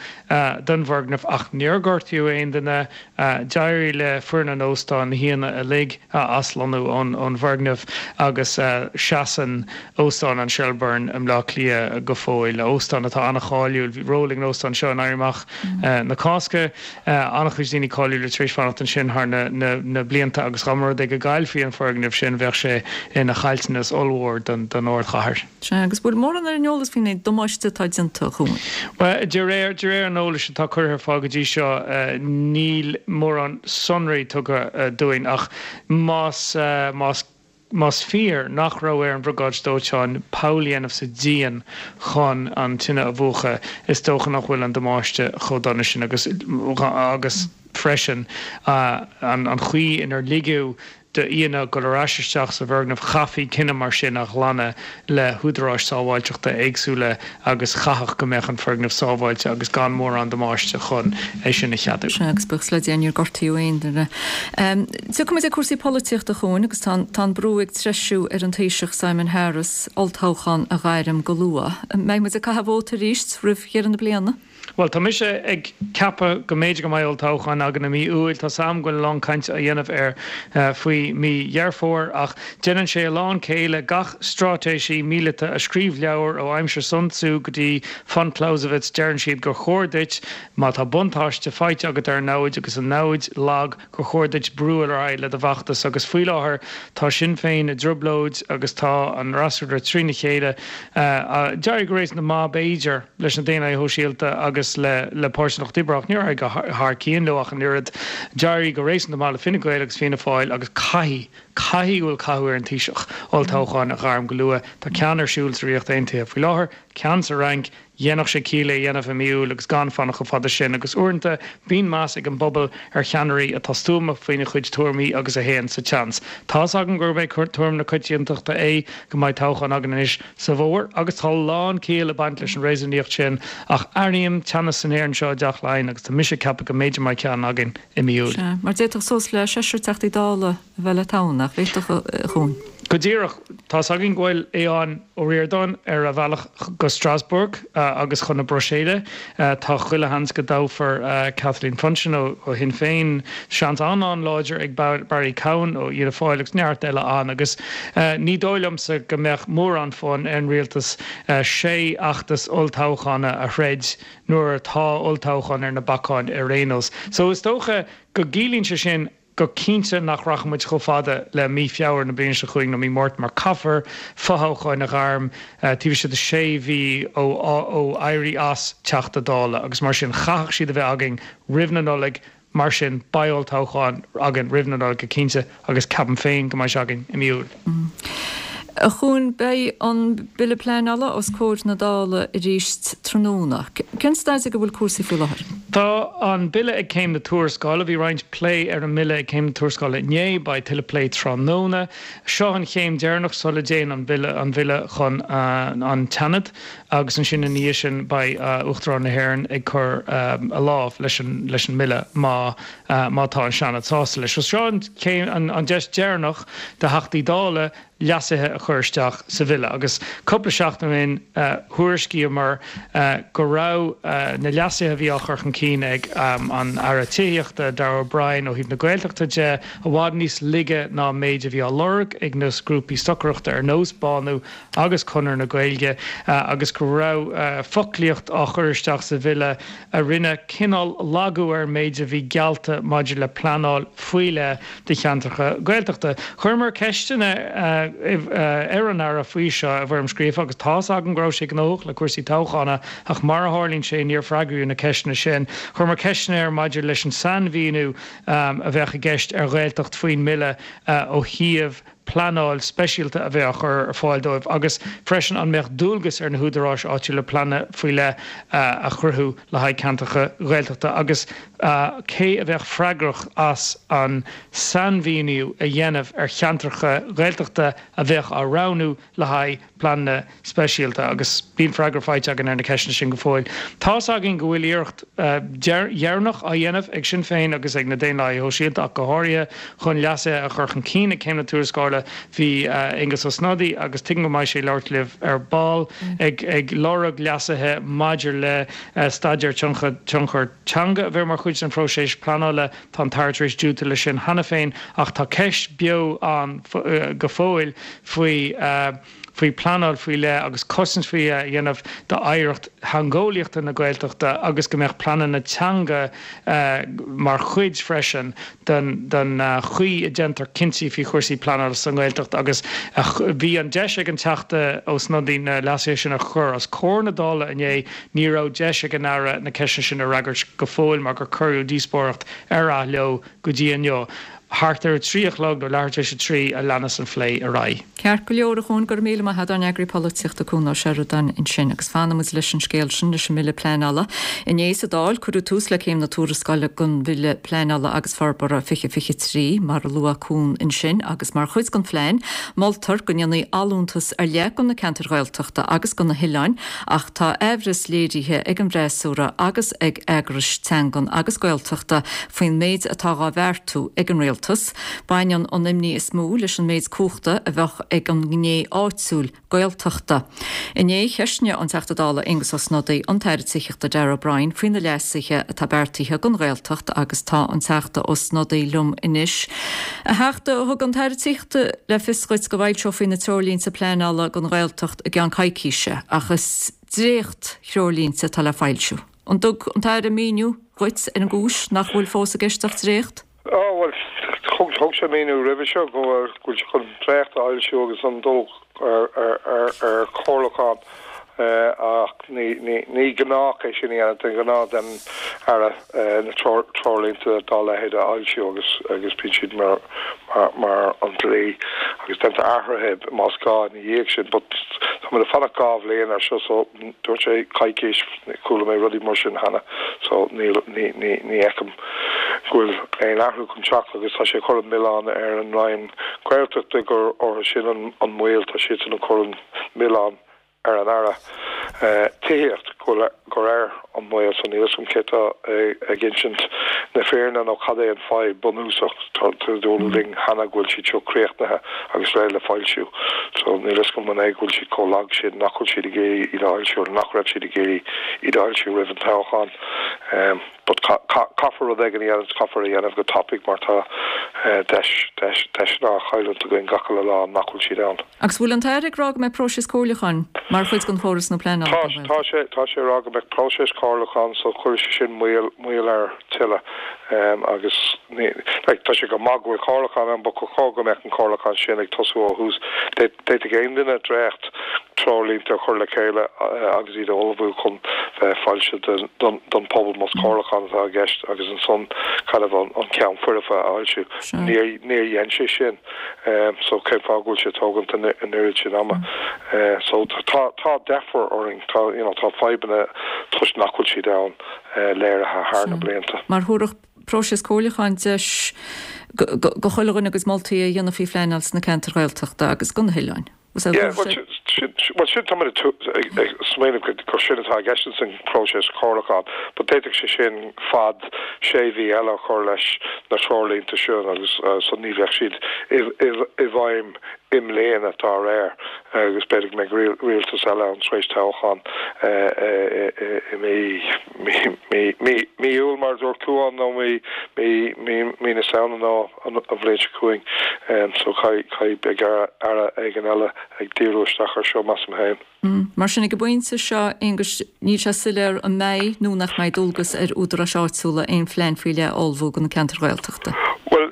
don bhfoirgneamh ach níor gortaíodh aon duine. D'éirigh le foireann an óstáin na haíonna uilig a aslonnú ón bhfoirgneamh agus seasann Óstán an Shelbourne i mBleá Cliath go fóill, óstán atá an-cháiliúil. Bhí ról ag an óstán seo in Éirí Amach na Cásca. An-chuid daoine cáiliúla tar éis fanacht ansin thar na blianta agus dá mba rud é go gcaillfí an foirgneamh sin bheadh sé ina chaillteanas ollmhór don ardchathair. Sea, agus bhfuil mórán ar an eolas faoin damáiste atá déanta, a Chuain? Bhuel, de réir de réir an eolais atá curtha ar fáil go dtí seo, níl mórán sonraí tugtha dúinn ach más más más fíor nach raibh ar an Bhriogáid Dóiteáin poll a dhéanamh sa díon chun an tine a mhúchadh, is dócha nach bhfuil an damáiste chomh dona sin agus agus freisin an chaoi inar ligeadh d'aíonna dul ar ais isteach sa bhfoirgneamh, chaithfí cinneadh mar sin a ghlanadh le húdaráis sábháilteachta éagsúla agus chaithfeadh go mbeadh an foirgneamh sábháilte agus gan mórán damáiste chun é sin a cheadú. Sea, agus buíochas le Dia níor gortaíodh aon duine. Tiocfaimid ag cúrsaí polaitíochta, a Chuain, agus tá an brú ag treisiú ar an Taoiseach Simon Harris olltoghchán a ghairm go luath. An mbeidh muid ag caitheamh vóta arís roimh dheireadh na bliana? Bhuel, tá mise ag ceapadh go mb'fhéidir go mbeidh olltoghchán againn i mí Iúil. Tá 's a'm go bhfuil a lán cainte á dhéanamh air faoi mí Dheireadh Fómhair, ach déanann sé a lán céille. Gach straitéisí míleata a scríobh leabhar ó aimsir Sun Tzu go dtí von Clausewitz, deireann siad gur chóir duit, má tá buntáiste faighte agat ar an namhaid agus an namhaid lag, gur chóir duit brú ar aghaidh le do bhfeachtas. Agus faoi láthair tá Sinn Féin i dtrioblóid agus tá an fhreasúra trína chéile. D'éirigh go réasúnta maith, b'fhéidir, leis na Daonlathaithe Shóisialta agus le le Páirtí an Lucht Oibre ach níor éirigh thar cionn leo ach an oiread. D'éirigh go réasúnta maith le Fine Gael agus Fianna Fáil agus caithfidh, caithfidh go bhfuil cathú ar an Taoiseach olltoghchán a ghairm go luath. Tá ceann ar siúl sa Ríocht Aontaithe faoi láthair, ceann sa Fhrainc, Dhéanfadh sé ciall é a dhéanamh i mí Iúil agus gan fanacht chomh fada sin agus uaireanta bíonn meas ag an bpobal ar cheannairí atá stuama faoina chuid tuairimí agus a théann sa tseans. Tá's agam gurb é tuairim na coitiantachta é go mbeidh toghchán againn anois sa bhfómhar agus tá a lán ciall ag baint leis an réasúnaíocht sin ach airím teannas san aer anseo i dTeach Laighean agus tá mise ag ceapadh go mb'fhéidir mbeidh ceann againn i mí Iúil. Sea, mar d'fhéadfadh suas le seisear Teachtaí Dála a bheith le toghadh, nach bhféadfadh, a Chuain? Go díreach. Tá's againn go bhfuil Aodhán Ó Ríordáin ar a bhealach go Strasbourg agus chun na Bruiséile. Tá chuile sheans go dtoghfar Kathleen Funchion ó Shinn Féin. Seans an-an-láidir ag Barry Cowen ó Fhianna Fáil agus neart eile ann. Agus ní dóigh liomsa go mbeadh mórán fonn ar an rialtas sé fheachtas olltoghchána a throid nuair atá olltoghchán ar na bacáin ar aon nós. So is dócha go gciallaíonn sé sin go cinnte nach rachaidh muid chomh fada le mí Feabhra na bliana seo chugainn nó mí Márta mar caithfear fothoghcháin a ghairm taobh istigh de sé mhí ó ó éirí as Teachta Dála agus mar sin chaithfeadh siad a bheith againn roimh na Nollaig mar sin beidh olltoghchán againn roimh na Nollaig go cinnte agus ceapaim féin go mbeidh sé againn i mí Iúil. A Chuain, beidh an Bille Pleanála os comhair na Dála arís tráthnóna. Cén staid ag a bhfuil cúrsaí faoi láthair? Tá an Bille ag céim na tuarascála. Bhí roinnt plé ar an mBille ag céim na tuarascála inné, beidh tuilleadh plé tráthnóna. Seo an chéim deireanach sula dtéann an Bille an Bhille chun an tSeanad agus ansin ina dhiaidh sin beidh Uachtarán na hÉireann ag cur a lámh leis an leis an mBille má má tá an Seanad sásta leis. So seo an chéim an an deis deireanach do Theachtaí Dála leasuithe a chur isteach sa bhille agus cúpla seachtain ó shin thuairiscíomar go raibh na leasuithe a bhí á chur chun cinn ag an Aire Tithíochta Darragh O'Brien ó thaobh na Gaeltachta de i bhfad níos laige ná an méid a bhí á lorg ag na grúpaí stocaireachta ar nós Bánú agus Conradh na Gaeilge agus go raibh foclaíocht á chur isteach sa bhille a rinne cineál lagú ar an méid a bhí geallta maidir le pleanáil faoi leith do cheantracha Gaeltachta. Chuireamar ceisteanna ar an Aire faoi seo i bhfoirm scríofa agus tá's agam go raibh sé gnóthach le cúrsaí toghchána ach mar a tharlaíonn sé níor freagraíodh na ceisteanna sin. Chuireamar ceisteanna air maidir leis an sainmhíniú a bheadh i gceist ar Ghaeltacht faoin mBille ó thaobh pleanáil speisialta a bheith á chur ar fáil dóibh agus freisin an mbeadh dualgas ar na húdaráis áitiúla pleananna faoi leith a chruthú le haghaidh ceantracha Gaeltachta agus cé a bheadh freagrach as an sainmhíniú a dhéanamh ar cheantracha Gaeltachta a bheadh á roghnú le haghaidh pleananna speisialta agus níl freagra faighte againn ar na ceisteanna sin go fóill. Tá's againn go bhfuil iarracht dheireanach á dhéanamh ag Sinn Féin agus ag na Daonlathaithe Shóisialta ach go háirithe chun leasuithe a chur chun cinn ag céim na tuarascála. Bhí Aengus Ó Snodaigh, agus tuigim go mbeidh sé ag labhairt libh ar ball, ag ag lorg leasuithe maidir le staidéar tionchar teanga a bheith mar chuid den phróiseas pleanála. Tá an tAire tar éis diúltú leis sin cheana féin ach tá ceist beo ann go fóill faoi faoi pleanáil faoi leith agus cosaint faoi leith a dhéanamh d'oidhreacht theangeolaíochta na Gaeltachta agus go mbeadh pleananna teanga mar chuid freisin den den chaoi a déantar cinntí faoi chúrsaí pleanála sa nGaeltacht agus bhí an deis ag an Teachta Ó Snodaigh na leasuithe sin a chur os comhair na Dála inné. Ní raibh deis ag an Aire na ceisteanna sin a fhreagairt go fóill mar gur cuireadh díospóireacht ar athló go dtí inniu. Thart ar a trí a chlog nó leathuair tar éis a trí a leanas an phlé ar aghaidh. Ceart go leor, a Chuain, go raibh míle maith agat, ár n-eagraí polaitíochta Cuan Ó Seireadáin ansin. Agus fanfaidh muid leis an scéal sin, leis an mBille Pleanála. Inné sa Dáil, cuireadh tús le céim na tuarascála den Bhille Pleanála agus Forbartha fiche fiche trí, mar a luaigh Cuan ansin, agus mar chuid den phlean, moltar go ndéanfaí allúntas ar leith do na ceantair Ghaeltachta agus do na hoileáin, ach tá aimhreas léirithe ag an bhfreasúra agus ag eagrais teangan agus Gaeltachta faoin méid atá dhá bheartú ag an rialtas. Baineann an imní is mó leis an méid cumhachta a bheadh ag an ngné áitiúil Gaeltachta. Inné, cheistigh an Teachta Dála Aengus Ó Snodaigh an tAire Tithíochta Darragh O'Brien faoi na leasuithe atá beartaithe don Ghaeltacht agus tá an Teachta Ó Snodaigh liom anois. A Theachta, thug an tAire Tithíochta le fios duit go bhfoilseofaí na treoirlínte pleanála don Ghaeltacht i gceann coicíse ach is dréacht-threoirlínte atá le foilsiú. An dtug an tAire míniú dhuit ar an gcúis nach bhfuil fós i gceist ach dréacht? Á, bhuel, thug thug sé míniú roimhe seo go bhfuil go bhfuil sé chun dréacht a fhoilsiú agus an dul ar ar ar ar chomhairliúchán ach ní ní ní gnách é sin a dhéanamh de ghnáth den Aire na treoirlínte dá leithéid a fhoilsiú agus agus bíonn siad mar mar mar an dlí agus déantar athruithe más gá ina dhiaidh sin. But táimid ag fanacht dhá bhliain ar seo so dúirt sé coicís, chuala mé rudaí mar sin cheana so níl ní ní ní fheicim go bhfuil aon athrú chun teacht agus tá sé ag cur an milleán ar an Roinn Gaeltachta gur orthu sin an an moill, tá siadsan ag cur an milleán ar an Aire Tithíochta go bhfuil gur air an moill so níl a fhios agam cé atá ag insint na fírinne nó cad é an fadhb bunúsach. Tá dúradh linn cheana go bhfuil siad seo críochnaithe agus réidh le foilsiú so níl a fhios agam an é go bhfuil siad chomh lag sin nach bhfuil siad ag iarraidh iad a fhoilsiú nó nach raibh siad ag iarraidh iad a fhoilsiú roimh an toghchán. But caithfear rud éigin a dhéanamh, caithfear a dhéanamh go tapaidh mar tá deis, deis, deiseanna á chailliúint againn gach uile lá nach bhfuil siad ann. Agus bhfuil an tAire ag rá go mbeidh próiseas comhairliúcháin mar chuid den chóras nua pleanála Tá, don Ghaeltacht? tá sé, tá sé ag rá go mbeidh próiseas comhairliúcháin so chuirfeadh sé sin moill, moill air tuilleadh agus ní, like tá sé go maith go bhfuil comhairliúchán ann but ba chóir go mbeadh an comhairliúchán sin ag tosú ó thús. D'fhéadfadh aon duine dréacht treoirlínte a chur le chéile agus iad a ullmhú chun bheith foilsithe don don pobal más comhairliúchán atá i gceist agus ansan kind of an an ceann foirfe a fhoilsiú. Níor níor dhein sé sin so cén fáth go bhfuil sé ag tógaint an an oiread sin ama. So tá tá deifir orainn tá you know tá fadhbanna toisc nach bhfuil siad ann léirithe thar na blianta. Mar thabharfadh próiseas comhairliúcháin deis go chuile dhuine a gcuid moltaí a dhéanamh faoi phleanáil sna ceantair Ghaeltachta agus go na hoileáin. Yeah, well sin sin tá mé ag smaoineamh gur sin atá i gceist san próiseas comhairliúcháin, but d'fhéadfadh sé sin fad sé mhí eile a chur leis na treoirlínte sin agus so ní bheadh siad i bhfeidhm i mbliana dá réir agus b'fhéidir go mbeidh rialtas eile ann tar éis toghchán i mí mí Iúil mar a dúirt Cuan nó mí mí na Samhna nó an bhliain seo chugainn so caithfidh beidh aire éigin eile ag díriú isteach ar seo measaim féin. Mar sin ag an bpointe seo, Aonghus, níl sé soiléir an mbeidh nó nach mbeidh dualgas ar údaráis áitiúla aon phlean faoi leith a ullmhú do na ceantair Ghaeltachta. Bhuel,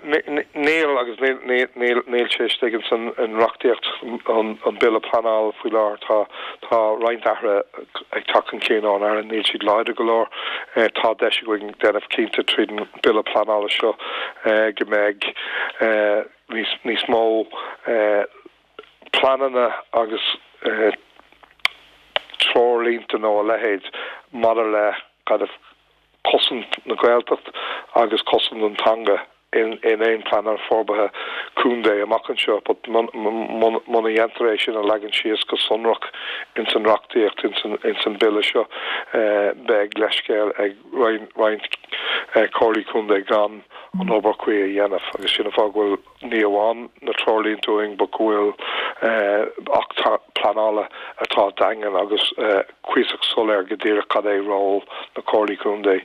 níl agus níl níl sé istigh ins an reachtaíocht an Bille Pleanála faoi láthair. Tá tá roinnt athruithe ag teacht chun cinn ón Aire, níl siad láidir go leor. Tá deis againn déanamh cinnte tríd an Bille Pleanála seo go mbeidh níos níos mó pleananna agus treoirlínte nó a leithéid maidir le kind of cosaint na Gaeltacht agus cosaint an teanga in in aon plean forbartha contae amach anseo but muna dhéantar é sin a leagan síos go sonrach ins an reachtaíocht ins an ins an bille seo beidh leithscéal ag roinnt comhairlí contae gan an obair chuí a dhéanamh agus sin an fáth go bhfuil ní amháin na treoirlínte uainn but go bhfuil acht pleanála atá daingean agus cuíosach soiléir go díreach cad é ról na comhairlí contae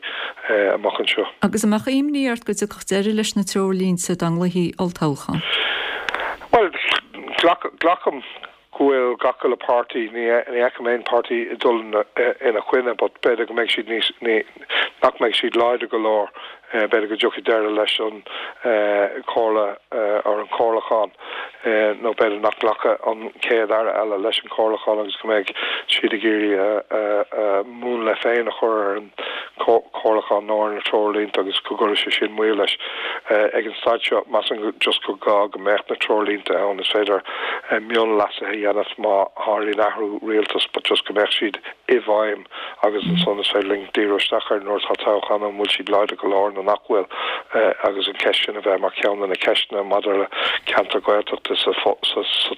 amach anseo. Agus an mbeadh imní ort go dtiocfadh deireadh leis na treoirlínte dá nglaofaí olltoghchán? Bhuel, glacaim go bhfuil gach uile páirtí, ní fheicim aon páirtí ag dul ina choinne, but b'fhéidir go mbeidh siad níos, nach mbeidh siad láidir go leor, b'fhéidir go dtiocfaidh deireadh leis an chomhairle ar an chomhairliúchán nó b'fhéidir nach nglacfaidh an chéad aire eile leis an chomhairliúchán agus go mbeidh siad ag iarraidh a múnla féin a chur ar an chomhairliúchán nó ar na treoirlínte agus go gcuirfidh sé sin moill leis. Ag an staid seo, measaim just gur gá go mbeadh na treoirlínte ann. Is féidir mionleasuithe a dhéanamh má tharlaíonn athrú rialtais but just go mbeadh siad i bhfeidhm agus ansan is féidir linn díriú isteach ar nuair atá toghchán ann an bhfuil siad láidir go leor nó nach bhfuil agus an cheist sin a bheith mar cheann de na ceisteanna maidir le ceantar Gaeltachta sa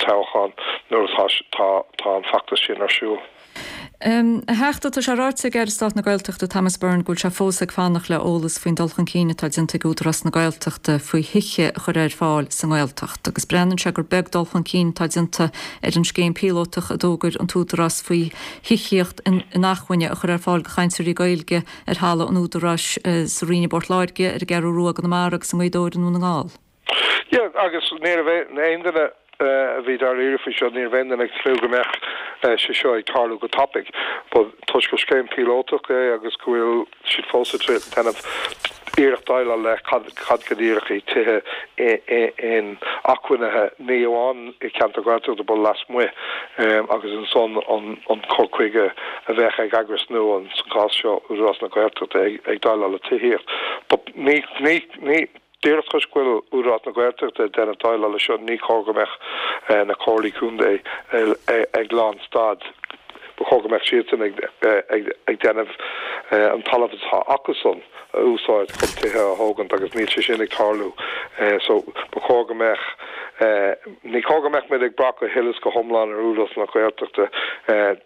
toghchán nuair atá tá an feachtas sin ar siúl. A Theachta, tá sé ráite ag Aire Stáit na Gaeltachta Thomas Byrne go bhfuil sé fós ag fanacht le eolas faoin dul chun cinn atá déanta ag Údarás na Gaeltachta faoi thithe a chur ar fáil sa nGaeltacht agus breathnaíonn sé gur beag dul chun cinn atá déanta ar an scéim píolótach a d'fhógair an tÚdarás faoi thithíocht inacmhainne a chur ar fáil do chainteoirí Gaeilge ar thalamh an Údaráis sa Rinn i bPort Láirge, ar an gCeathrú Rua i gConamara agus i nGaoth Dobhair i nDún na nGall. Yeah, agus ní raibh aon duine a bhí dáiríre faoi seo, ní raibh aon duine ag tnúth go mbeadh sé seo ag tarlú go tapaidh. But toisc gur scéim píolótach é agus go bhfuil siad fós ag déanamh iarracht déileáil le cad cad go díreach é tithe inacmhainne ní amháin i gceantar Gaeltachta but lasmuigh agus ansan an an cur chuige a bheadh ag eagras nua sa gcás seo Údarás na Gaeltachta ag ag déileáil le tithíocht. But ní ní ní Díreach toisc go bhfuil Údarás na Gaeltachta ag déanamh déileáil leis seo, ní chóir go mbeadh na comhairlí contae ag lánstad. Ba chóir go mbeadh siadsan ag déanamh an talamh atá acusan a úsáid chun tithe a thógaint agus níl sé sin ag tarlú. So ba chóir go mbeadh, ní chóir go mbeadh muid ag brath go huile is go hiomlán ar Údarás na Gaeltachta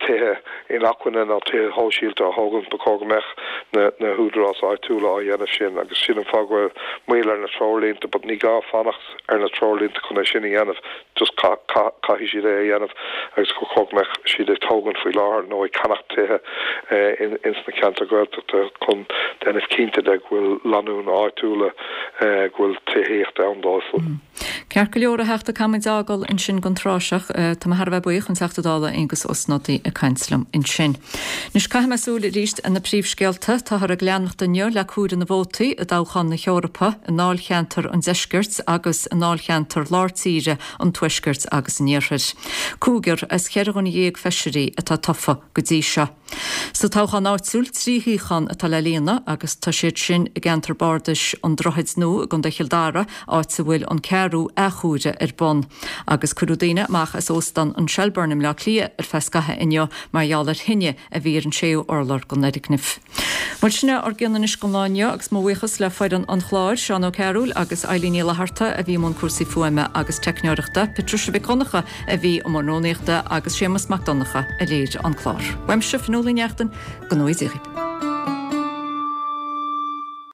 tithe inacmhainne nó tithe shóisialta a thógaint, ba chóir go mbeadh na na húdaráis áitiúla á dhéanamh sin agus sin an fáth go bhfuil moill ar na treoirlínte but ní gá fanacht ar na treoirlínte chun é sin a dhéanamh just caithfidh siad é a dhéanamh agus ba chóir go mbeadh siad ag tógaint faoi láthair nó ag ceannach tithe in ins na ceantair Ghaeltachta chun déanamh cinnte de go bhfuil lánúin áitiúla go bhfuil tithíocht ann dóibh. Ceart go leor a Theachta, caithfidh muid fhágáil ansin don tráth seo. Tá mé thar a bheith buíoch an Teachta Dála Aengus Ó Snodaigh ag caint liom ansin. Anois caithfidh mé súil arís ar na príomhscéalta. Táthar ag leanacht inniu le comhaireamh na vótaí i dtoghchán na hEorpa i ndáilcheantar an Deiscirt agus i ndáilcheantar Lár Tíre an Tuaiscirt agus an Iarthair. Cúigear as cheithre dhuine dhéag feisirí atá tofa go dtí seo. Sa toghchán áitiúil, trí shuíochán atá le líonadh agus tá siad sin i gceantar bardais an Droichid Nua i gContae Chill Dara, áit a bhfuil an ceathrú athchomhaireamh ar bun. Agus cuireadh daoine amach as Óstán an Shelbourne i mBleá Cliath ar feadh scaithimh inniu mar gheall ar thine a bhí ar an séú urlár den fhoirgneamh. Bhuel, sin é ár gcion anois don lá inniu agus mo bhuíochas le foireann an chláir, Seán Ó Cearúil agus Eilín Ní Fhlatharta a bhí i mbun cúrsaí fuaime agus teicneoireachta, Patricia Mhic Dhonncha a bhí i mbun rúnaíochta agus Séamus Mac Donncha a léirigh an clár. Uaimse, Fionnuala Ní Neachtain, go ngnóthaí Dia dhaoibh.